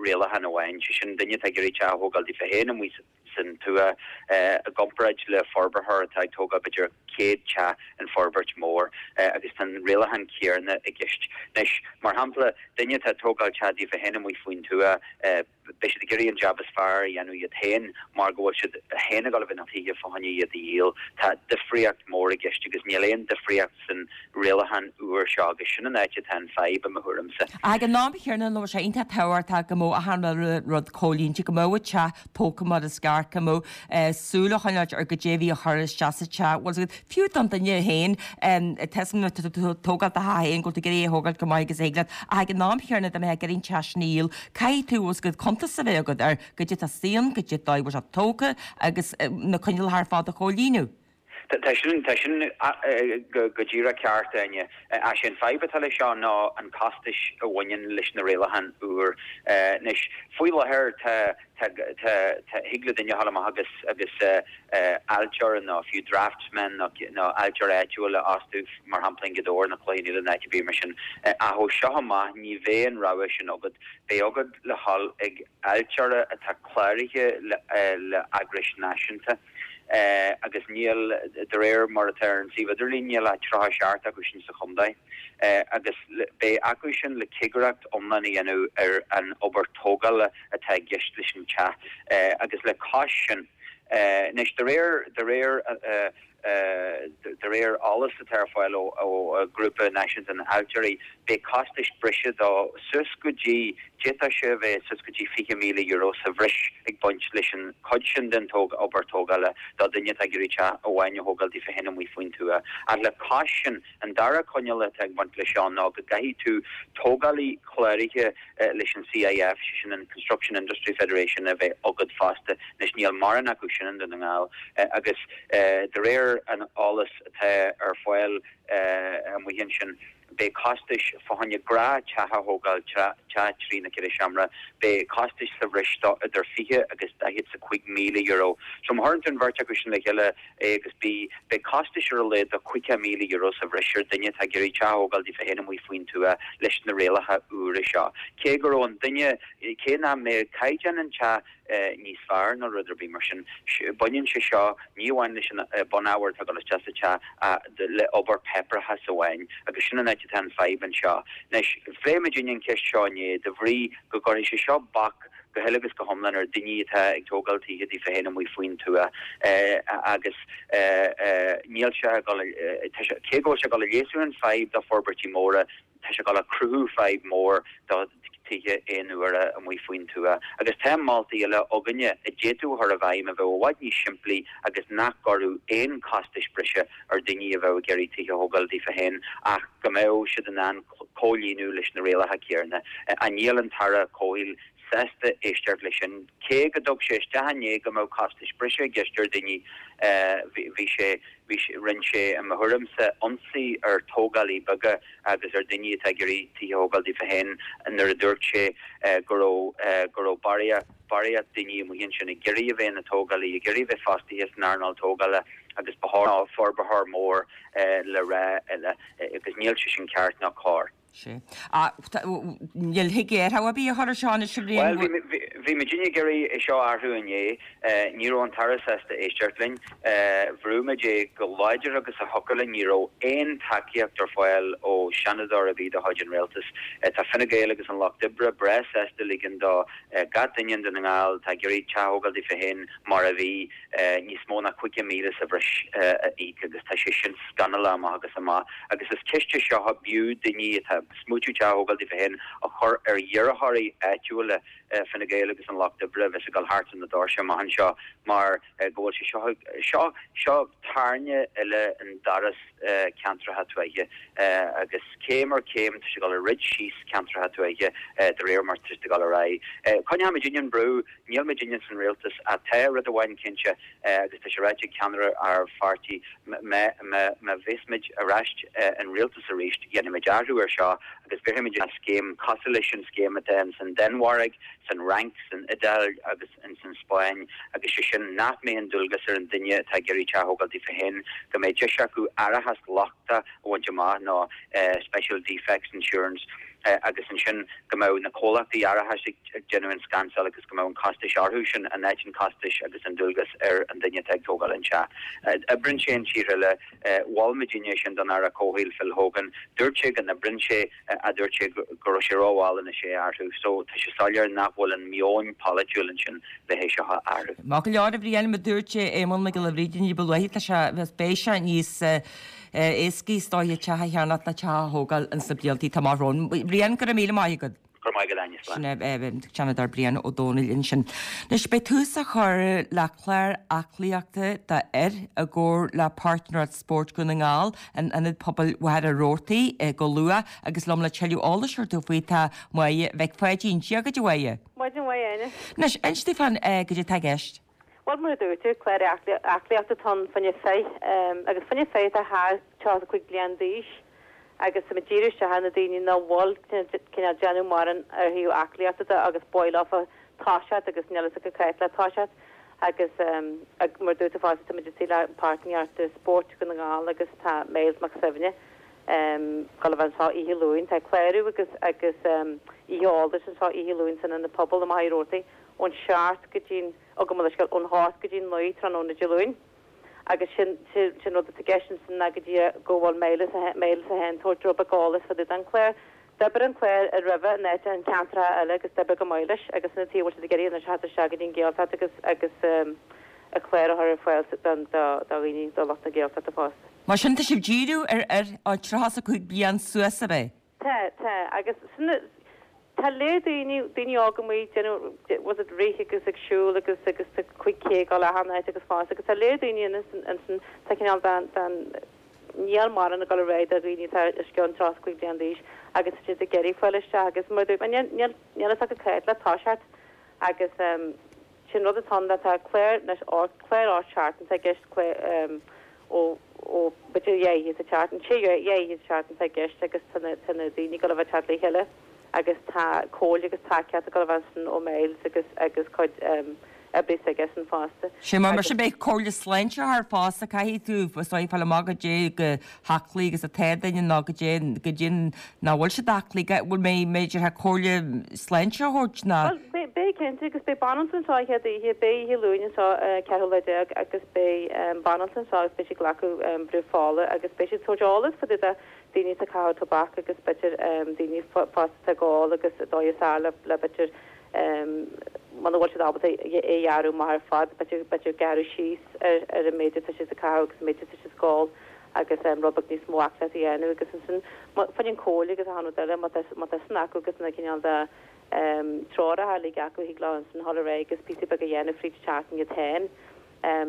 rialachán amháin, sé sin, duine atá ag iarraidh teach a thógáil daofa féin amuigh san tuath, i gcomparáid le forbarthóir atá ag tógáil b'fhéidir 100 teach in forbairt mór, agus tá an rialachán céanna i gceist. Anois, mar shampla, duine atá ag tógáil teach daofa féin amuigh faoin tuath, Beidh siad ag iarraidh an jab is fearr a dhéanamh iad féin mar go bhfuil siad féin ag dul a bheith na tithe fá choinne iad a dhíol. Tá difríocht mór i gceist agus níl aon difríocht san rialachán úr seo agus sin an áit atá an fadhb i mo thuairimse.
Ag an am chéanna nó sé iontach tábhachtach go mbeadh achan rud comhlíonta, go mbeadh an teach tógtha mar is ceart, go mbeadh súil á choinneáilt ar goidé a bhí á chur isteach sa teach, bhfuil fhios agat, fiú don duine féin, tá fhios agam nuair atá tú ag tógáil do theach féin go bhfuil tú ag iarraidh é a thógáil chomh maith agus a thig leat, ach ag an am chéanna dá mbeifeá ag iarraidh an teach sin a dhíol, caithfidh tú, bhfuil fhios agat, cuntas a bheith agat ar goidé atá istigh ann, goidé an dóigh a bhfuil sé tógtha agus na coinníollacha ar fad a chomhlíonadh.
Tá sin, tá sin go díreach ceart, Áine. Ach sé an fadhb atá leis seo ná an costais a bhaineann leis na rialacháin úr. Anois, faoi láthair tá, tá, tá, tá, thig le duine a dhul amach agus, agus ailtire nó fiú draftsman nó, nó ailtire áitiúil a fhostú, mar shampla i nGaoth Dobhair nó Cloich Cheann Fhaola nó áit ar bith mar sin. Ach ó seo amach ní bheidh an rogha sin agat. Beidh agat le dhul ag ailtire atá cláraithe le, le eagrais náisiúnta. Agus níl, de réir mar atá ar an suíomh idirlín, níl ach 37 acu sin sa chontae. Agus beidh acu sin le cigireacht iomlán a dhéanamh ar an obair tógála atá i gceist leis an teach. Agus le cois sin, anois, de réir, de réir, De réir eolas atá ar fáil ó Ghrúpa Náisiúnta na nAiltirí, beidh costais breise de suas go dtí, d'fhéadfadh sé a bheith suas go dtí €20,000 sa bhreis ag baint leis an chuid sin den obair tógála do dhuine atá ag iarraidh teach amháin a thógáil daofa féin amuigh faoin tuath. Ach le cois sin, an dara coinníoll atá ag baint leis seo ná go gcaithfidh tú tógálaí cláraithe leis an CIF, sé sin an Construction Industry Federation, a bheith agat fosta. Anois níl mórán acu sin i nDún na nGall agus de réir an eolais atá ar fáil amuigh ansin, beidh costais fá choinne gnáth-teach a thógáil, teach 3 nó 4 seomra, beidh costais sa bhreis de idir 20 agus €45,000. So má chuireann tú an bheirt acu sin le chéile, A agus B, beidh costais ar a laghad de €50,000 sa bhreis ar duine atá ag iarraidh teach a thógáil daofa féin amuigh faoin tuath leis na rialacha úra seo. Cé go raibh an duine, cé nach mbeadh caighdeán an teach níos fearr nó rud ar bith mar sin, baineann sé seo ní amháin leis an bunábhar atá ag dul isteach sa teach ach le obair páipéarachais amháin agus sin an áit atá an fadhb anseo. Anois, phléigh muidinne an cheist seo inné de bhrí go gcuirfidh sé seo bac go huile agus go hiomlán ar daoine atá ag tógáil tithe daofa féin amuigh faoin tuath agus níl sé ag dul, tá sé, cé go bhfuil sé ag dul a leasú an fadhb do forbairtí móra, tá sé ag dul a cruthú fadhb mór do tithe aon-uaire amuigh faoin tuath. Agus tá moltaí eile againne a d'fhéadfadh a chur i bhfeidhm a bheadh i bhfad níos simplí agus nach gcuirfeadh aon costais breise ar daoine a bheadh ag iarraidh tithe a thógáil daofa féin ach go mbeadh siad in ann comhlíonadh leis na rialacha céarna. Ach níl an tAire Comhshaoil sásta éisteacht leis sin. Cé go dtug sé isteach inné go mbeadh costais breise i gceist ar dhaoine, bhí sé, bhí sé, rinne sé, i mo thuairimse, ionsaí ar tógálaí beaga agus ar dhaoine atá ag iarraidh tithe a thógáil daofa féin nuair a dúirt sé go raibh, go raibh barraíocht, barraíocht daoine amuigh ansin ag iarraidh a bheith ina dtógálaí, ag iarraidh a bheith fostaithe san earnáil tógála agus ba chóir forbarthóir mór le rá eile. agus níl sé sin ceart ná cóir.
Sea. Ach níl thig athrú ar bith a chur ar seo anois a Bhriain.
Bhuel, bhí muidinne ag iarraidh é seo a athrú inné. Ní raibh an tAire sásta éisteacht linn. Bhrúigh muid é go láidir agus a thiocfadh linn. Ní raibh aon tacaíocht ar fáil ó Sheanadóir ar bith de chuid an Rialtais. Tá Fine Gael agus an Lucht Oibre breá sásta ligean do gach duine i nDún na nGall atá ag iarraidh teach a thógáil daofa féin mar a bhí. níos mó ná 50,000 sa bhreis a íoc agus tá sé sin scannalach amach agus amach agus is ceist é seo a b'fhiú daoine atá ag smaoitiú teach a thógáil daofa féin a chur ar iarrthóirí áitiúla Fine Gael agus an Lucht Oibre a bheas ag dul thart ar na doirse amach anseo mar go bhfuil sé seo seo seo tairne eile i ndoras ceantracha tuaithe agus céim ar chéim tá sé ag dul a throid síos ceantracha tuaithe de réir mar tá sé ag dul ar aghaidh. Coinneoidh muidinne an brú. Níl muidinne san rialtas ach tá rud amháin cinnte agus tá sé ráite ag ceannaire ár pháirtí, má bheas muid ar ais in rialtas arís dhéanfaidh muid athrú ar seo agus bhéarfaidh muid scéim cosúil leis an scéim atá ins an Danmhairg, san Fhrainc, san Iodáil agus ins an Spáinn agus sé sin nach mbeidh an dualgas ar an duine atá ag iarraidh teach a thógáil daofa féin go mbeidh deis acu árachas lochta a bhaint amach nó special defects insurance. Agus ansin go mbeadh na comhlachtaí árachais ag déanamh an scansáil agus go mbeadh an costais orthu sin in áit an costais agus an dualgas ar an duine atá ag tógáil an teach. Oibríonn sé in tíortha eile. Mhol muidinne é sin don Aire Comhshaoil Phil Hogan. Dúirt sé go n-oibríonn sé ach dúirt sé go raibh sé rómhall anois é a athrú. So tá sé soiléir nach bhfuil an meon polaitiúil ansin le hé seo a athrú.
Maith go leor, a Bhriain, mar a dúirt Éamonn Mac Giolla Bhríde ní ba luaithe, tá sé, beidh sé níos éascaí is dóiche teach a cheannacht ná teach a thógáil ins na bliantaí atá amach romhainn. Brian, go raibh míle maith agat.
Go raibh maith agat, Áine.
Slán. Sin é an Seanadóir Brian Ó Domhnaill ansin. Anois beidh tús á chur le clár aclaíochta d'fhir i gcomhar le Páirtnéireacht Spóirt Dhún na nGall in Ionad Pobail Mhachaire Rabhartaigh go luath agus liom le tuilleadh eolais a thabhairt faoi tá Máire Mhic Pháidín. Dia dhuit a Mháire.
Maidin mhaith, Áine.
Anois, inis domh fán goidé atá i gceist.
Bhuel, mar a dúirt tú, clár aclaíochta atá ann fá choinne fir, agus fá choinne fir atá thar 35 bliain d'aois, agus tá muid ag díriú isteach ar na daoine nach bhfuil cineál déanamh mórán ar thaobh aclaíochta de agus ba mhaith leofa toiseacht agus níl fhios acu cá háit le toiseacht agus mar a dúirt tú fosta tá muid istigh le Páirtnéireacht Spóirt Dhún na nGall agus tá Myles Mac Suibhne ag dul a bheith anseo oíche Luain. Tá clárú agus agus oíche eolais anseo oíche Luain san Ionad Pobail i Machaire Rabhartaigh ón seacht go dtí'n Ó gabh mo leithscéal, ón hocht go dtí'n naoi tráthnóna Dé Luain. Agus sin, sin rud atá i gceist ansin ná go dtí go bhfuil Myles é Myles é féin ag tabhairt rud beag eolais fá dtaobh den chlár. D'oibir an clár i roimhe in áit in ceantracha eile agus d'oibir go maith leis agus sin an tuige a bhfuil siad ag iarraidh anois theacht isteach go dtí an Ghaeltacht agus agus an clár a chur ar fáil don do dhaoine, do lucht na Gaeltachta fosta.
Mar sin tá sibh ag díriú ar fhir ó 35 bliain suas, ab é?
Tá, tá. Agus sin, tá léir daoine, daoine óga amuigh ag déanamh, was it rith agus ag siúl agus, agus tá 5K ag dul achan áit agus fosta agus tá léir daoine ansin, tá cineál den, den, níl mórán ag dul ar aghaidh do dhaoine atá os cionn 35 bliain d'aois agus tá siad ag iarraidh fáil isteach agus mar a dúirt mé, níl, níl, níl fhios acu cá háit le toiseacht agus sin rud atá ann, tá clár anois, clár 8 seachtain atá i gceist, clár ó, ó b'fhéidir dhá oíche sa tseachtain, sé dhá oíche sa tseachtain atá i gceist agus tá na, tá na daoine ag dul a bheith ag teacht le chéile agus tá comhairle agus tacaíocht ag dul a bheith ansin ó Myles agus, agus cuid oibrí s'aigesean fosta.
Sé mar, mar sin beidh comhairle sláinte thart fosta, caithfidh tú, is dóigh, fáil amach goidé chomh haclaí agus atá duine nó goidé, goidé nach bhfuil siad aclaí, bhfuil mé, b'fhéidir, comhairle sláinte a thabhairt
ná. Bhuel, beidh, cinnte, agus beidh banaltra anseo an chéad oíche, beidh oíche Luain anseo, ceathrú lá déag, agus beidh banaltra anseo agus beidh siad ag glacadh brú fola agus beidh siad ag tabhairt eolas fá dtaobh de daoine atá ag caitheamh tobac agus b'fhéidir daoine fásta atá ag ól agus an dóigh is fearr le, le b'fhéidir muna bhfuil siad ábalta é a ghearradh amach ar fad, b'fhéidir, b'fhéidir gearradh síos ar, ar an méid atá siad ag caitheamh agus an méid atá siad ag ól agus rud beag níos mó aclaíochta a dhéanamh agus ansin fá choinne an comhairle agus achan rud eile má tá, má tá sin acu agus na cineál de treoracha uilig acu thig leo ansin dhul ar aghaidh agus píosa beag a dhéanamh fríd an tseachtain iad féin.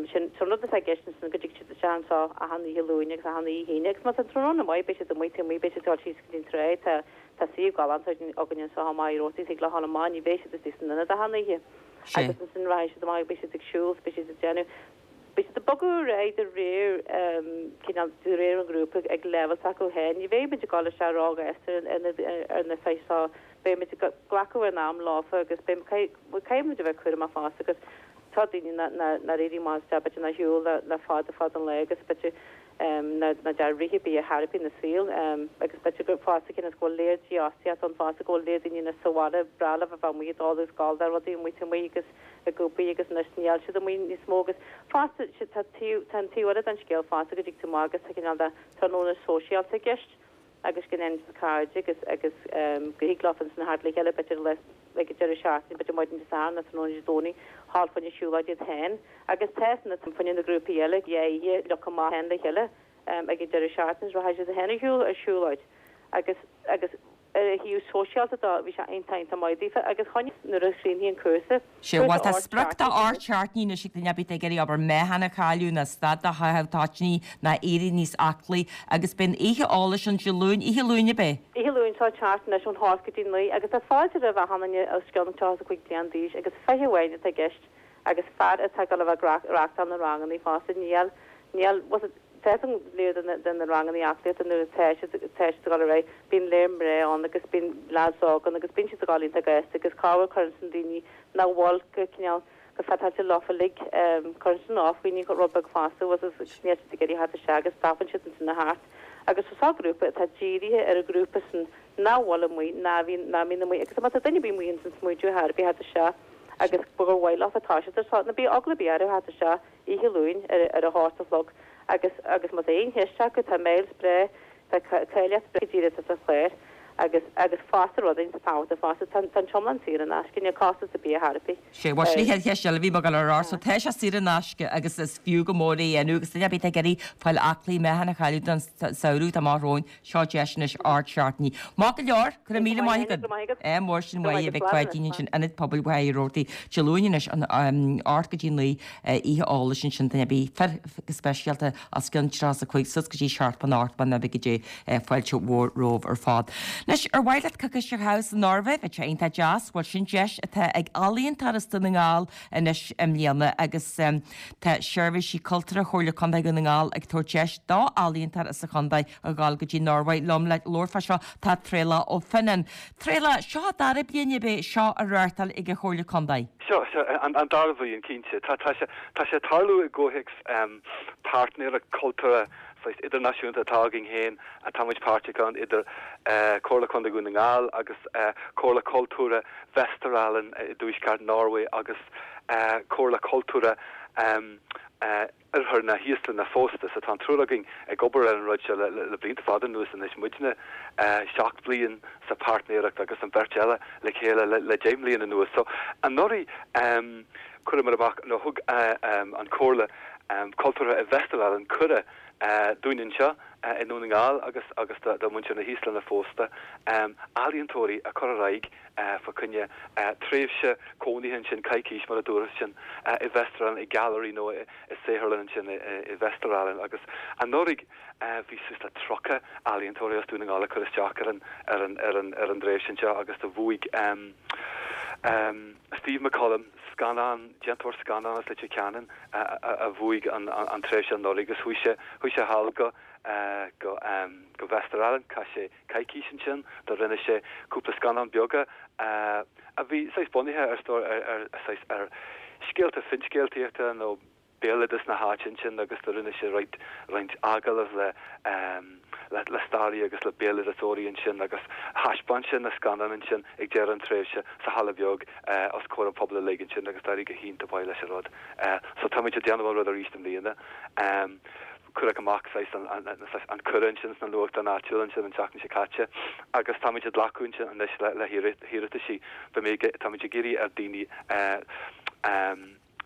Sin an rud atá i gceist ansin go dtig siad isteach anseo achan oíche Luain agus achan oíche hAoine agus má tá an tráthnóna maith beidh siad amuigh taobh amuigh beidh siad ag dul síos go dtí an trá tá tá suíomh galánta againn anseo i Machaire Rabhartaigh thig leo dhul amach ní bheidh siad istigh san ionad achan oíche agus ansin rachaidh siad amach beidh siad ag siúl beidh siad ag déanamh beidh siad ag bogadh ar aghaidh de réir cineál de réir an ghrúpa ag leibhéal s'acu féin ní bheidh muid ag dul isteach róghasta ar na ar na fir seo beidh muid ag glacadh ár n-am leofa agus beidh caithfidh muid a bheith cúramach fosta agus Tá daoine nár éirigh amach as b'fhéidir nár shiúil le fada fada an lá agus b'fhéidir nár dear rith ar bith ar chor ar bith ina saol agus b'fhéidir gur fosta cionn is go bhfuil léir dífhostaíocht ann fosta go bhfuil léir daoine anois sa bhaile breá leo a bheith amuigh ag dul agus gabháil do rudaí amuigh taobh amuigh agus ag obair agus anois níl siad amuigh níos mó agus fosta tá taobh tá an taobh eile den scéal fosta go dtig tú amach agus tá cineál de tráthnóna sóisialta i gceist agus go ndéanann siad cairde agus agus go thig leo ansin theacht le chéile b'fhéidir le ag an deireadh seachtaine, b'fhéidir maidin Dé Sathairn nó tráthnóna Dé Domhnaigh, thall fá choinne siúlóid iad féin agus tá san fá choinne na grúpaí eile dhá oíche leofa amach féin le chéile ag an deireadh seachtaine is rachaidh siad féin ar shiúl ar siúlóid agus agus ar a thaobh sóisialta dó bhí sé iontach iontach maith daofa agus choinnigh nuair a chríochnaigh an cúrsa
Sea, bhuel tá sprioc de 8 seachtainí anois ag duine ar bith atá ag iarraidh abair meáchan a chailleadh ná stad de chaitheamh toitíní ná éirí níos aclaí agus beidh an oíche eolais ann Dé Luain, oíche Luain ab é?
Oíche Luain seo ag teacht anois ón hocht go dtí naoi agus tá fáilte roimh achan duine os cionn 35 bliain d'aois agus 20 amháin atá i gceist agus fear atá ag dul a bheith ag reachtáil na rangannaí fosta. Níl, níl, was it, tá an léir de na, de na rangannaí aclaíochta nuair atá siad, tá siad ag dul ar aghaidh, bíonn léir mná ann agus bíonn leaids óga ann agus bíonn siad ag dul iontach gasta agus corruair cuireann sin daoine nach bhfuil go cineál, go fiteáilte leofa uilig, cuireann sin off dhaoine rud beag fosta was it, agus níl siad ag iarraidh theacht isteach agus stopann siad ansin a theacht. Agus tá seo grúpa atá dírithe ar an ghrúpa sin. Ná bhfuil amuigh, ná bhíonn, ná mbíonn amuigh agus má tá duine ar bith amuigh ins an smaoitiú thar bith theacht isteach agus gur mhaith leofa toiseacht ar so, ná bíodh eagla ar bith orthu theacht isteach oíche Luain ar ar a hocht a chlog agus agus má tá aon cheist acu tá Myles breá, tá cáilíocht breá go díreach sa chlár agus agus fosta rud iontach tábhachtach fosta tá tá an t-iomlán saor in aisce, níl costas ar bith ar chor ar bith.
Sé, bhuel sin an chéad cheist eile a bhí mé ag dul a rá so tá sé saor in aisce agus is fiú go mór é a dhéanamh agus duine ar bith atá ag iarraidh fáil aclaí meáchan a chailleadh don samhradh tá amach romhainn Seo deis anois ard seachtainí. Maith go leor, go raibh míle maith agat. Ádh mór sin uaidh a Mhic Pháidín ansin, Ionad Pobail Mhachaire Rabhartaigh, Dé Luain anois, an 8 go dtí 9, oíche eolais ansin duine ar bith, fir go speisialta, os cionn 35 suas go dtí 7 8 mná beaga Dé, fáilte mhór romhaibh ar fad. Anois, ar mhaith leat coicís a chaitheamh sa Norvég? Bheadh sé iontach deas. Bhuel, sin deis atá ag ealaíontóir as Dún na nGall anois i mbliana agus tá Seirbhísí Cultúrtha Chomhairle Contae Dhún na nGall ag tabhairt deis d'ealaíontóir as an chontae a ghabháil go dtí an Norváig. Liom le labhairt fá seo tá Traolach Ó Fionnáin. Traolach, seo an dara bliain ab é seo á reáchtáil ag an Chomhairle Contae?
Seo, seo, an dara bhliain, cinnte. Tá, tá sé, tá sé ag tarlú i gcomhthéacs páirtnéireacht cultúrtha saghas idirnáisiúnta atá againn féin, atá muid páirteach ann, idir Comhairle Contae Dhún na nGall agus Comhairle Cultúrtha Vesterålen i dtuaisceart Norway agus Comhairle Cultúrtha Oirthear na hÍoslainne fosta. So tá an triúr againn ag obair ar an rud seo le blianta fada anuas anois, muidne seacht bliain sa páirtnéireacht agus an bheirt eile le chéile le deich mbliana anuas. So anuraidh chuireamar amach, nó thug an Chomhairle Cultúrtha i Vesterålen cuireadh dúinn anseo i nDún na nGall agus agus do mhuintir na hÍoslainne fosta, ealaíontóirí a chur ar aghaidh fá choinne tréimhse cónaithe ansin, coicís mar a dúras ansin, i Vesterålen, i gailearaí nó i saotharlann ansin i Vesterålen. Agus anuraidh bhí suas le 30 ealaíontóirí as Dún na nGall ag cur isteach ar an ar an ar an ar an dtréimhse anseo agus do bhuaigh Steve McCollum, scannán, déantóir scannán as Leitir Ceanainn a bhuaigh an tréimhse anuraidh agus chuaigh sé chuaigh sé thall go go go Vesterålen, chaith sé coicís ansin, do rinne sé cúpla scannán beaga a bhí saghas bunaithe ar ar saghas ar scéalta finscéaltaíochta nó béaloideas na háite ansin agus do rinne sé roinnt roinnt agallamh le le le staraithe agus le béaloideasóirí ansin agus thaispeáin sé na scannáin ansin ag deireadh an tréimhse sa halla beag os comhair an phobail uilig ansin agus d'éirigh go hiontach maith leis an rud. So táimid ag déanamh an rud arís i mbliana. Cuireadh amach saghas an saghas an cuireadh ansin sna nuachtáin áitiúla ansin an tseachtain seo caite agus táimid ag glacadh ansin anois le le hiarrataisí. Beidh mé ag táimid ag iarraidh ar daoine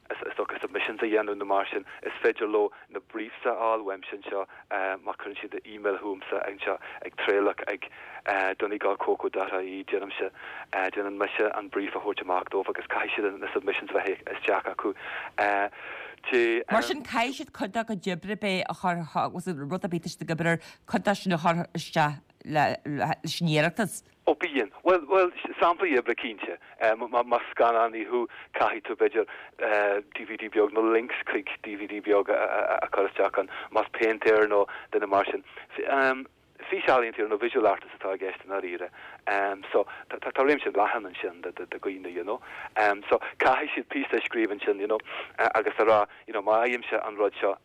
is dócha submissions a dhéanamh nó mar sin. Is féidir leo na briefs a fháil uaimse anseo má chuireann siad email chugamsa anseo ag traolach ag donegalcoco dot ie déanaimse déanann mise an brief a thabhairt amach dóibh agus caithfidh siad na submissions a bheith isteach acu
Dé. Mar sin caithfidh siad cuid dá gcuid oibre b'é a chur rud ar bith atá siad ag obair air cuid de sin a chur isteach leis an iarratas.
Ó bíonn. Bhuel, bhuel, samplaí oibre cinnte. Más scannánaí thú, caithfidh tú, b'fhéidir, DVD beag nó links chuig DVD beag a chur isteach ann. Más péintéir nó duine mar sin. Físealaíontóir nó visual artist atá i gceist i ndáiríre. So, tá réimse leathan ansin de dhaoine, you know. So, caithfidh siad píosa a scríobh ansin, you know, agus a rá, you know, má fhaighimse an rud seo,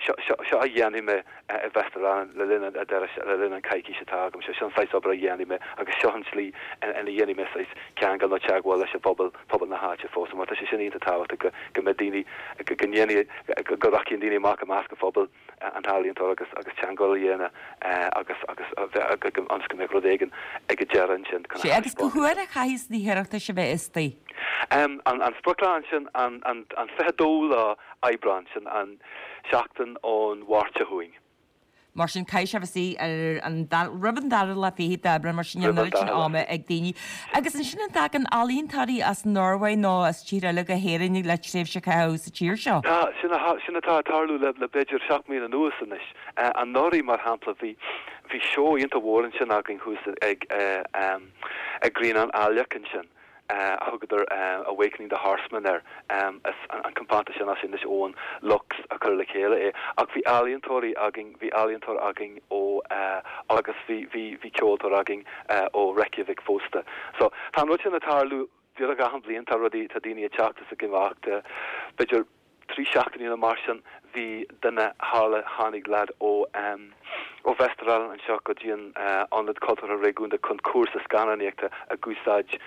seo, seo, seo a dhéanfaidh mé i Vesterålen le linn an deireadh, le linn an coicís atá agam, seo, seo an saghas obair a dhéanfaidh mé agus seo an tslí ina dhéanfaidh mé saghas ceangal nó teagmháil leis an bpobal, pobal na háite fós. Mar tá sé sin iontach tábhachtach go, go mbeidh daoine, go, go ndéanfaidh, go, go rachaidh daoine amach i measc an phobail. an t-ealaíontóir agus agus teagmháil a dhéanamh agus agus a bheith ionas go mbeadh rud éigin ag an deireadh ansin
chun a Sé agus cá huair a chaithfidh na hiarratais a bheith istigh?
An an sprioclá ansin an an an 22 lá Aibreán, sin an seachtain ón Mháirt seo chugainn.
Mar sin caithfidh sé a bheith istigh ar an roimh an dara lá fichead d'Aibreán mar sin níl an oiread sin ama ag daoine. Agus ansin an dtagann ealaíontóirí as an Norváig nó as tír eile go hÉirinn le tréimhse a chaitheamh sa tír seo?
Tá, sin sin atá ag tarlú le le b'fhéidir 7 mbliana anuas anois. Anuraidh, mar shampla, bhí bhí seó iontach mhór ansin againn thuas ag ag Grianán Aileach ansin, a thugadar Awakening the Horseman air. Is an compántas sin as Inis Eoghain, Lux, a chuir le chéile é. Ach bhí ealaíontóirí againn, bhí ealaíontóir againn ó agus bhí bhí bhí ceoltóir againn ó Reykjavik fosta. So tá an rud sin ag tarlú beagnach achan bhliain, tá rudaí, tá daoine ag teacht is ag imeacht, b'fhéidir. 3 seachtainí nó mar sin bhí duine tharla tháinig leaid ó ó Vesterålen anseo go dtí an Ionad Cultúrtha Réigiúnda chun cúrsa scannánaíochta ag úsáid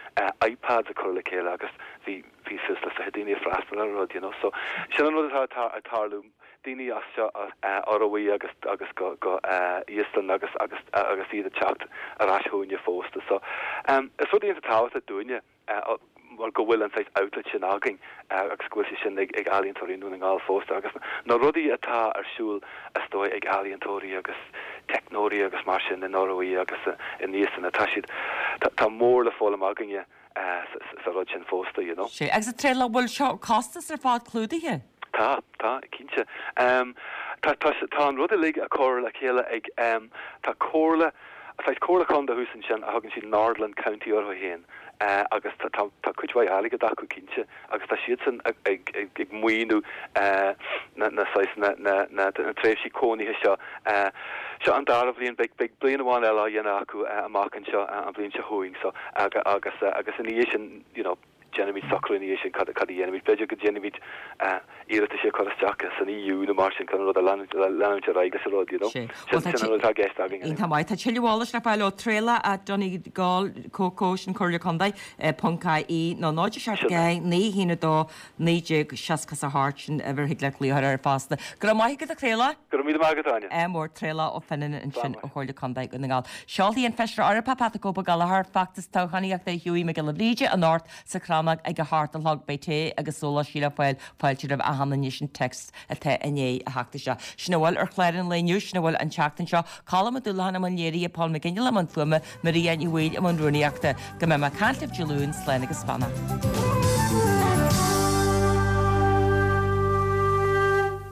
iPads a chur le chéile agus bhí bhí suas le 20 daoine ag freastal ar an rud you know so sin an rud atá ag tarlú daoine as seo as Ioruaidh agus agus go go Íoslainn agus agus agus iad ag teacht ar ais chugainne fosta so is rud iontach tábhachtach dúinne mar go bhfuil an saghas outlet sin againn agus go bhfuil sé sin ag ag ealaíontóirí i nDún na nGall fosta agus na rudaí atá ar siúl is dóigh ag ealaíontóirí agus teicneoirí agus mar sin in Ioruaidh agus in Íoslainn tá siad tá mór le foghlaim againne sa rud sin fosta, you know.
Sea, agus a Thraolaigh, bhfuil seo costas ar fad clúdaithe?
Tá, tá, cinnte. Tá, tá, tá an rud uilig á chur le chéile ag, tá comhairle, saghas comhairle contae thuas ansin a thugann siad Nordland County orthu féin agus tá, tá, tá cuid mhaith airgid acu cinnte agus tá siadsan ag, ag, ag maoiniú na, na saghas, na, na, na, na tréimhsí cónaithe seo. Seo an dara bhliain, beidh, beidh bliain amháin eile á dhéanamh acu amach anseo an bhliain seo chugainn so agus, agus ina dhiaidh sin, you know, déanfaimid socrú ina dhiaidh sin cad, cad a dhéanfaimid. B'fhéidir go ndéanfaimid iarratais a chur isteach san EU nó mar sin chun an rud a leanúint, leanúint ar aghaidh leis an rud, you know.
Sin, Bhuel, tá
sin an rud atá i gceist againn.
Iontach maith. Tá tuilleadh eolais le fáil ó Traolach at Donegal CO sin Comhairle Contae, ponc IE nó 0 7 4 9 1 2 1968 sin uimhir thig leat glaoch air fosta. Go raibh maith agat a Thraolaigh.
Go raibh míle maith agat Áine.
Ádh mór Traolach Ó Fionnáin ansin ó Chomhairle Contae Dhún na nGall. Seolfaidh an Feisire Eorpach Pat the Cope Ó Gallchóir feachtas toghchánaíochta Hughie Mac Giolla Bhríde anocht sa Chrannóg ag a hocht a chlog. Beidh tae agus sóláistí le fáil. Fáilte roimh achan duine sin text atá i ndiaidh a theacht isteach. Sin a bhfuil ar chlár an lae inniu, sin a bhfuil an tseachtain seo. Colm Ó Dúlacháin i mbun léirithe, Paul McGinley i mbun fuaime, Maria Ní Bhaoill i mbun rúnaíochta. Go mbeidh mé ag caint libh Dé Luain, slán agus beannacht.